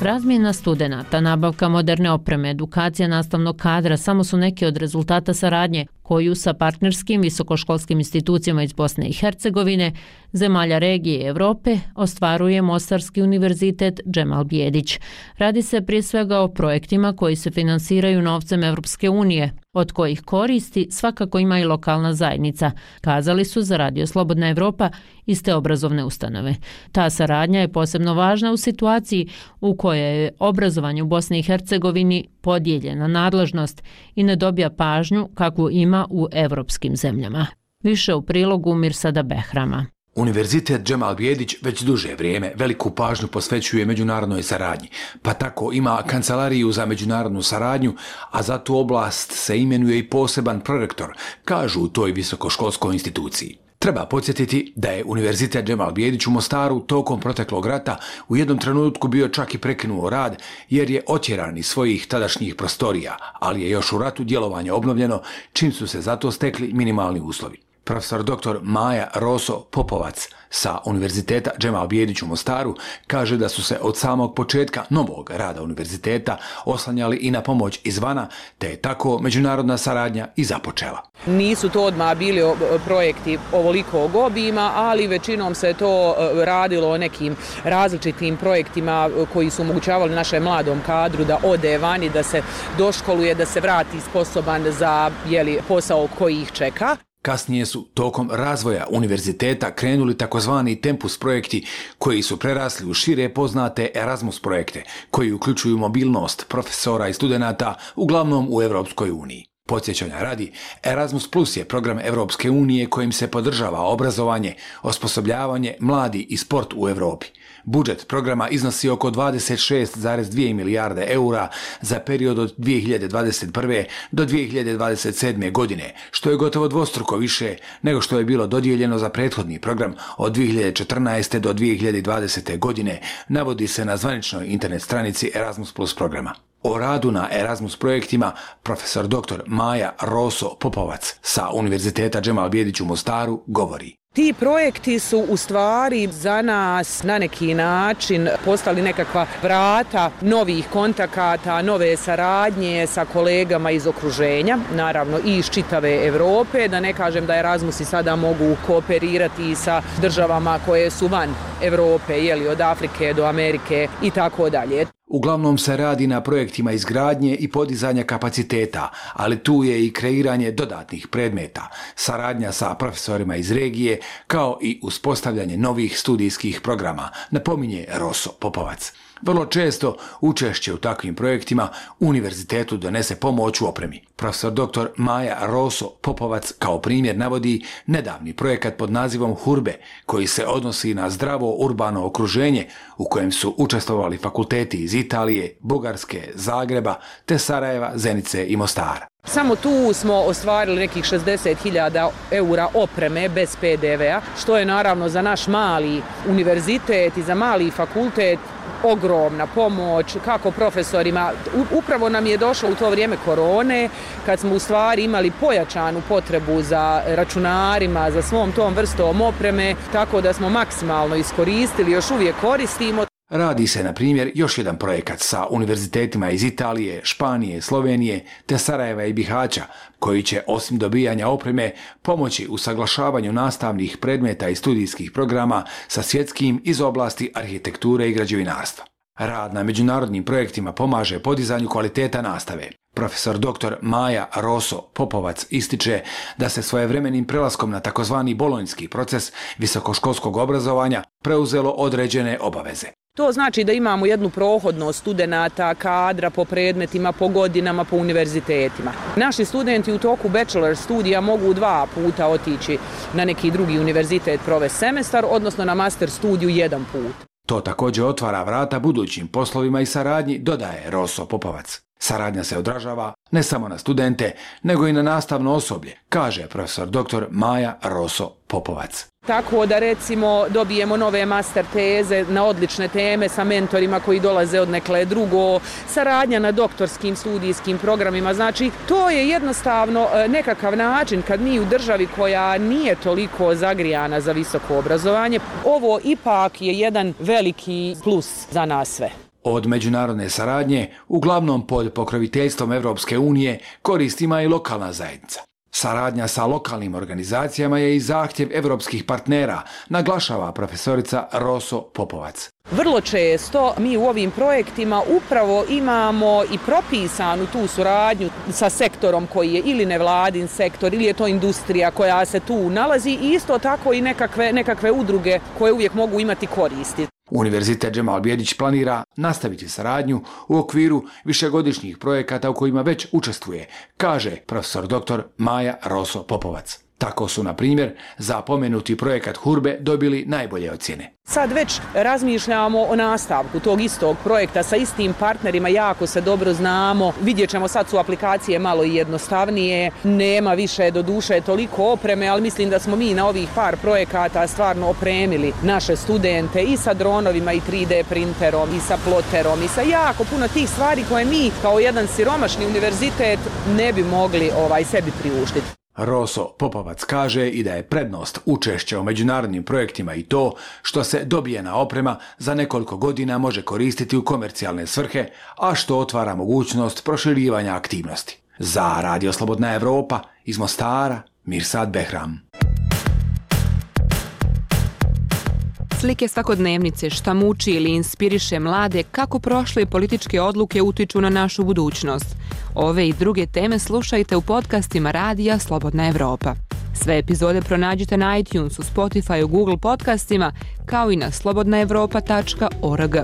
Razmjena studenata, nabavka moderne opreme, edukacija nastavnog kadra samo su neki od rezultata saradnje koju sa partnerskim visokoškolskim institucijama iz Bosne i Hercegovine, zemalja regije i Evrope, ostvaruje Mostarski univerzitet Džemal Bijedić. Radi se prije svega o projektima koji se finansiraju novcem Evropske unije, od kojih koristi svakako ima i lokalna zajednica, kazali su za Radio Slobodna Evropa iz te obrazovne ustanove. Ta saradnja je posebno važna u situaciji u kojoj je obrazovanje u Bosni i Hercegovini podijeljena nadležnost i ne dobija pažnju kakvu ima u evropskim zemljama. Više u prilogu Mirsada Behrama. Univerzitet Džemal Bijedić već duže vrijeme veliku pažnju posvećuje međunarodnoj saradnji, pa tako ima kancelariju za međunarodnu saradnju, a za tu oblast se imenuje i poseban prorektor, kažu u toj visokoškolskoj instituciji. Treba podsjetiti da je Univerzitet Džemal Bijedić u Mostaru tokom proteklog rata u jednom trenutku bio čak i prekinuo rad jer je otjeran iz svojih tadašnjih prostorija, ali je još u ratu djelovanje obnovljeno čim su se zato stekli minimalni uslovi. Profesor doktor Maja Roso Popovac sa Univerziteta Džemal Bijedić u Mostaru kaže da su se od samog početka novog rada univerziteta oslanjali i na pomoć izvana, te je tako međunarodna saradnja i započela. Nisu to odmah bili projekti ovolikog obima, ali većinom se to radilo o nekim različitim projektima koji su omogućavali našem mladom kadru da ode vani, da se doškoluje, da se vrati sposoban za jeli, posao koji ih čeka. Kasnije su tokom razvoja univerziteta krenuli takozvani Tempus projekti koji su prerasli u šire poznate Erasmus projekte koji uključuju mobilnost profesora i studenata uglavnom u Evropskoj uniji. Podsjećanja radi, Erasmus Plus je program Evropske unije kojim se podržava obrazovanje, osposobljavanje, mladi i sport u Evropi. Budžet programa iznosi oko dvadeset šest zarez dvije milijarde eura za period od dvije hiljade dvadeset prve. do dvije hiljade dvadeset sedme. godine, što je gotovo dvostruko više nego što je bilo dodijeljeno za prethodni program od dvije hiljade četrnaeste. do dvije hiljade dvadesete. godine, navodi se na zvaničnoj internet stranici Erasmus Plus programa. O radu na Erasmus projektima profesor doktor Maja Roso Popovac sa Univerziteta Džemal Bijedić u Mostaru govori. Ti projekti su u stvari za nas na neki način postali nekakva vrata novih kontakata, nove saradnje sa kolegama iz okruženja, naravno i iz čitave Evrope, da ne kažem da Erasmusi sada mogu kooperirati sa državama koje su van Evrope, jeli, od Afrike do Amerike i tako dalje. Uglavnom se radi na projektima izgradnje i podizanja kapaciteta, ali tu je i kreiranje dodatnih predmeta, saradnja sa profesorima iz regije kao i uspostavljanje novih studijskih programa, napominje Roso Popovac. Vrlo često učešće u takvim projektima univerzitetu donese pomoć u opremi. Profesor doktor Maja Roso Popovac kao primjer navodi nedavni projekat pod nazivom Hurbe, koji se odnosi na zdravo urbano okruženje u kojem su učestvovali fakulteti iz Italije, Bugarske, Zagreba, te Sarajeva, Zenice i Mostara. Samo tu smo ostvarili nekih šezdeset hiljada eura opreme bez pe de ve a, što je naravno za naš mali univerzitet i za mali fakultet ogromna pomoć, kako profesorima. Upravo nam je došlo u to vrijeme korone, kad smo u stvari imali pojačanu potrebu za računarima, za svom tom vrstom opreme, tako da smo maksimalno iskoristili, još uvijek koristimo. Radi se, na primjer, još jedan projekat sa univerzitetima iz Italije, Španije, Slovenije te Sarajeva i Bihaća, koji će, osim dobijanja opreme, pomoći u saglašavanju nastavnih predmeta i studijskih programa sa svjetskim iz oblasti arhitekture i građevinarstva. Rad na međunarodnim projektima pomaže podizanju kvaliteta nastave. Profesor doktor Maja Roso Popovac ističe da se svojevremenim prelaskom na takozvani bolonjski proces visokoškolskog obrazovanja preuzelo određene obaveze. To znači da imamo jednu prohodnost studenata, kadra po predmetima, po godinama, po univerzitetima. Naši studenti u toku bachelor studija mogu dva puta otići na neki drugi univerzitet provesti semestar, odnosno na master studiju jedan put. To također otvara vrata budućim poslovima i saradnji, dodaje Roso Popovac. Saradnja se odražava ne samo na studente, nego i na nastavno osoblje, kaže profesor doktor Maja Roso Popovac. Tako da recimo dobijemo nove master teze na odlične teme sa mentorima koji dolaze od nekle drugo, saradnja na doktorskim studijskim programima. Znači, to je jednostavno nekakav način kad mi u državi koja nije toliko zagrijana za visoko obrazovanje, ovo ipak je jedan veliki plus za nas sve. Od međunarodne saradnje, uglavnom pod pokroviteljstvom Evropske unije, korist ima i lokalna zajednica. Saradnja sa lokalnim organizacijama je i zahtjev evropskih partnera, naglašava profesorica Roso Popovac. Vrlo često mi u ovim projektima upravo imamo i propisanu tu suradnju sa sektorom koji je ili nevladin sektor ili je to industrija koja se tu nalazi i isto tako i nekakve, nekakve udruge koje uvijek mogu imati koristi. Univerzitet Džemal Bijedić planira nastaviti saradnju u okviru višegodišnjih projekata u kojima već učestvuje, kaže profesor doktor Maja Roso Popovac. Tako su, na primjer, za pomenuti projekat Hurbe dobili najbolje ocjene. Sad već razmišljamo o nastavku tog istog projekta sa istim partnerima, jako se dobro znamo. Vidjet ćemo, sad su aplikacije malo i jednostavnije, nema više do duše toliko opreme, ali mislim da smo mi na ovih par projekata stvarno opremili naše studente i sa dronovima i tri de printerom i sa ploterom i sa jako puno tih stvari koje mi kao jedan siromašni univerzitet ne bi mogli ovaj sebi priuštiti. Roso Popovac kaže i da je prednost učešća u međunarodnim projektima i to što se dobijena oprema za nekoliko godina može koristiti u komercijalne svrhe, a što otvara mogućnost proširivanja aktivnosti. Za Radio Slobodna Evropa iz Mostara, Mirsad Behram. Slike svakodnevnice šta muči ili inspiriše mlade kako prošle političke odluke utiču na našu budućnost. Ove i druge teme slušajte u podcastima Radija Slobodna Evropa. Sve epizode pronađite na iTunesu, Spotifyu, Google podcastima, kao i na slobodna evropa tačka org.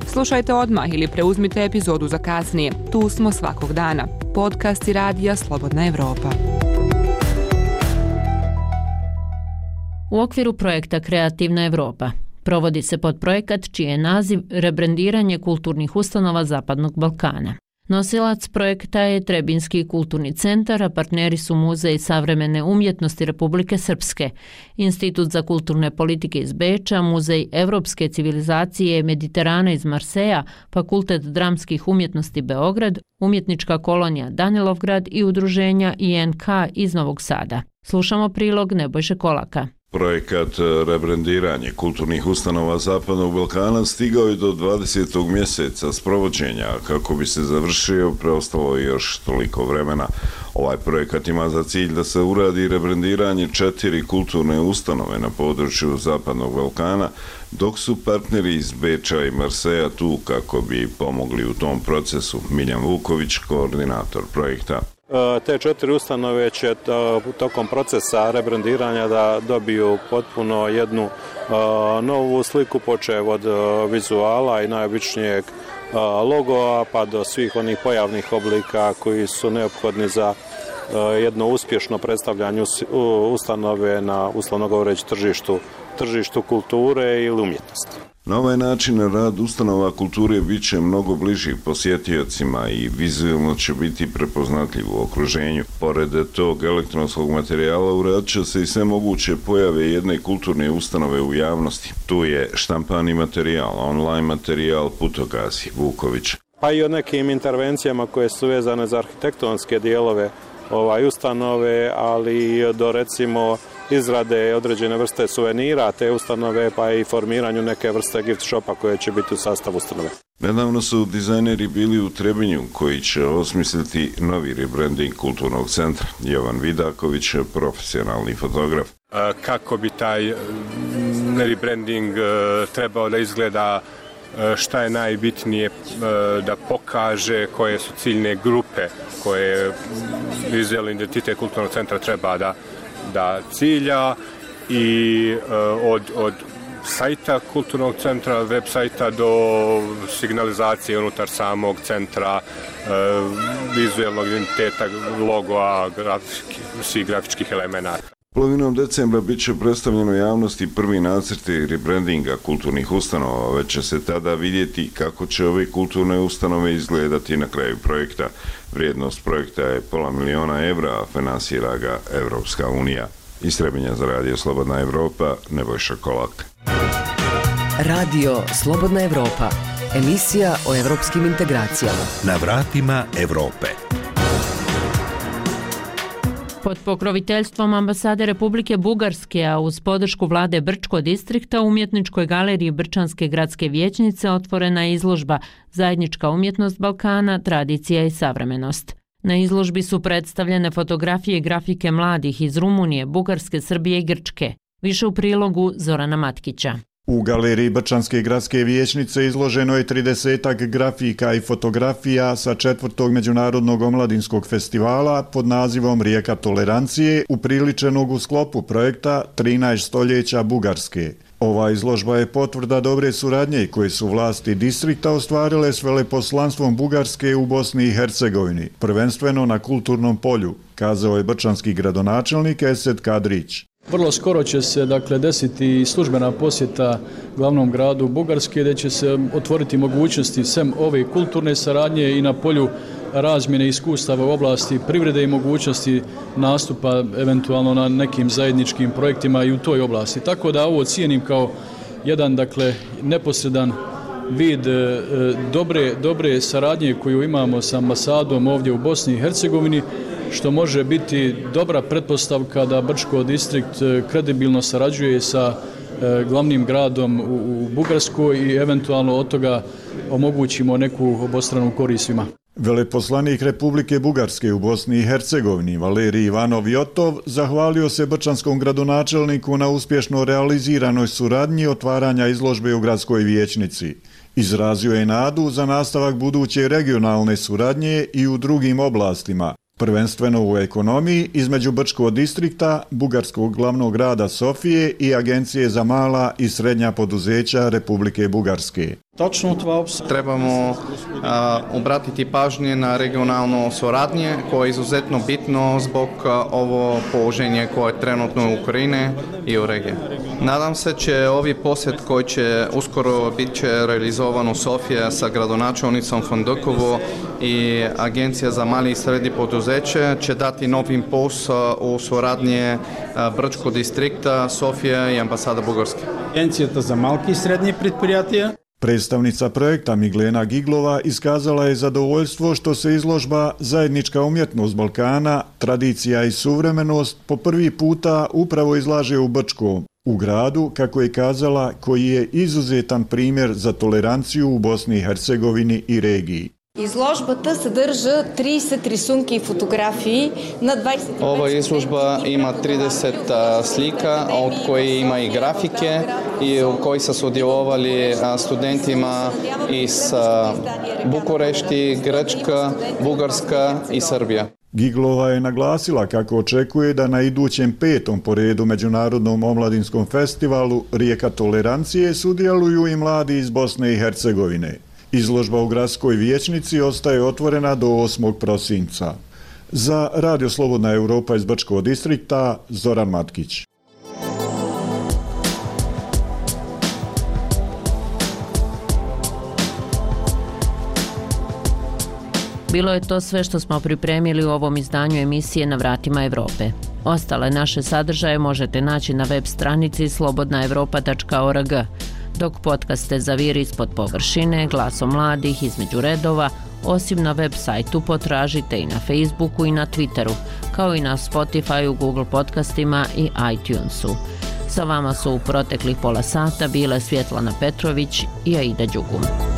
Slušajte odmah ili preuzmite epizodu za kasnije. Tu smo svakog dana. Podcasti Radija Slobodna Evropa. U okviru projekta Kreativna Evropa provodi se podprojekat čiji je naziv Rebrendiranje kulturnih ustanova Zapadnog Balkana. Nosilac projekta je Trebinski kulturni centar, a partneri su Muzej savremene umjetnosti Republike Srpske, Institut za kulturne politike iz Beča, Muzej evropske civilizacije Mediterana iz Marseja, Fakultet dramskih umjetnosti Beograd, Umjetnička kolonija Danilovgrad i udruženja I N K iz Novog Sada. Slušamo prilog Nebojše Kolaka. Projekat rebrendiranje kulturnih ustanova Zapadnog Balkana stigao je do dvadesetog mjeseca sprovođenja. Kako bi se završio, preostalo je još toliko vremena. Ovaj projekat ima za cilj da se uradi rebrendiranje četiri kulturne ustanove na području Zapadnog Balkana, dok su partneri iz Beča i Marseja tu kako bi pomogli u tom procesu. Miljan Vuković, koordinator projekta. Te četiri ustanove će tokom procesa rebrandiranja da dobiju potpuno jednu novu sliku, počev od vizuala i najobičnijeg logoa pa do svih onih pojavnih oblika koji su neophodni za jedno uspješno predstavljanje ustanove na, uslovno govoreći, tržištu, tržištu kulture ili umjetnosti. Na ovaj način rad ustanova kulture bit će mnogo bliži posjetiocima i vizualno će biti prepoznatljiv u okruženju. Pored tog elektronskog materijala uradit će se i sve moguće pojave jedne kulturne ustanove u javnosti. Tu je štampani materijal, online materijal, putokazi, Vuković. Pa i o nekim intervencijama koje su vezane za arhitektonske dijelove ovaj ustanove, ali i do recimo izrade određene vrste suvenira te ustanove, pa i formiranju neke vrste gift shopa koje će biti u sastavu ustanove. Nedavno su dizajneri bili u Trebinju koji će osmisliti novi rebranding kulturnog centra. Jovan Vidaković, profesionalni fotograf. Kako bi taj rebranding trebao da izgleda, šta je najbitnije da pokaže, koje su ciljne grupe koje vizualni identitet kulturnog centra treba da, da cilja i od, od sajta kulturnog centra, web sajta do signalizacije unutar samog centra, vizualnog identiteta, logoa, grafiki, svih grafičkih elemenata. Polovinom decembra bit će predstavljeno javnosti prvi nacrti rebrandinga kulturnih ustanova, već će se tada vidjeti kako će ove kulturne ustanove izgledati na kraju projekta. Vrijednost projekta je pola miliona evra, a finansira ga Evropska unija. Iz Trebinja za Radio Slobodna Evropa, Nebojša Kolak. Radio Slobodna Evropa, emisija o evropskim integracijama. Na vratima Evrope. Pod pokroviteljstvom ambasade Republike Bugarske, a uz podršku vlade Brčko distrikta, u umjetničkoj galeriji Brčanske gradske vijećnice otvorena je izložba Zajednička umjetnost Balkana, tradicija i savremenost. Na izložbi su predstavljene fotografije i grafike mladih iz Rumunije, Bugarske, Srbije i Grčke. Više u prilogu Zorana Matkića. U galeriji Brčanske gradske vijećnice izloženo je tridesetak grafika i fotografija sa četvrtog međunarodnog omladinskog festivala pod nazivom Rijeka tolerancije, upriličenog u sklopu projekta trinaest stoljeća Bugarske. Ova izložba je potvrda dobre suradnje koje su vlasti distrikta ostvarile s veleposlanstvom Bugarske u Bosni i Hercegovini, prvenstveno na kulturnom polju, kazao je brčanski gradonačelnik Esed Kadrić. Vrlo skoro će se dakle desiti službena posjeta glavnom gradu Bugarske, gdje će se otvoriti mogućnosti sem ove kulturne saradnje i na polju razmjene iskustava u oblasti privrede i mogućnosti nastupa eventualno na nekim zajedničkim projektima i u toj oblasti. Tako da ovo cijenim kao jedan dakle neposredan vid e, dobre, dobre saradnje koju imamo sa ambasadom ovdje u Bosni i Hercegovini, što može biti dobra pretpostavka da Brčko distrikt kredibilno sarađuje sa e, glavnim gradom u, u Bugarskoj i eventualno od toga omogućimo neku obostranu korist svima. Veleposlanik Republike Bugarske u Bosni i Hercegovini Valerij Ivanov Jotov zahvalio se brčanskom gradonačelniku na uspješno realiziranoj suradnji otvaranja izložbe u gradskoj vijećnici. Izrazio je nadu za nastavak buduće regionalne suradnje i u drugim oblastima, prvenstveno u ekonomiji između Brčkog distrikta, bugarskog glavnog grada Sofije i Agencije za mala i srednja poduzeća Republike Bugarske. Trebamo a, obratiti pažnje na regionalno suradnje koje je izuzetno bitno zbog a, ovo položenje koje je trenutno u Ukrajine i u regiji. Nadam se će ovi posjet koji će uskoro bit će realizovan u Sofije sa gradonačelnicom Fondokovo i Agencija za mali i srednji poduzeće će dati novi impuls u suradnje Brčkog distrikta, Sofija i ambasada Bugarske. Agencija za malki i srednji предприятия. Predstavnica projekta Miglena Giglova iskazala je zadovoljstvo što se izložba Zajednička umjetnost Balkana, tradicija i suvremenost po prvi puta upravo izlaže u Brčkom, u gradu, kako je kazala, koji je izuzetan primjer za toleranciju u Bosni i Hercegovini i regiji. Изложбата съдържа тридесет рисунки и фотографии на двадесет и пет. Ova izložba ima trideset slika, od koje ima i grafike i u kojoj su sudjelovali studentima iz Bukurešti, Grčka, Bugarska i Srbija. Giglova je naglasila kako očekuje da na idućem petom po redu Međunarodnom omladinskom festivalu Rijeka tolerancije sudjeluju i mladi iz Bosne i Hercegovine. Izložba u gradskoj vijećnici ostaje otvorena do osmog prosinca. Za Radio Slobodna Europa iz Brčkog distrikta, Zoran Matkić. Bilo je to sve što smo pripremili u ovom izdanju emisije Na vratima Evrope. Ostale naše sadržaje možete naći na web stranici slobodna evropa tačka org, dok podcaste Zaviri ispod površine, Glasom mladih, Između redova, osim na web sajtu potražite i na Facebooku i na Twitteru, kao i na Spotifyu, Google podcastima i iTunesu. Sa vama su u proteklih pola sata bile Svjetlana Petrović i Aida Đugum.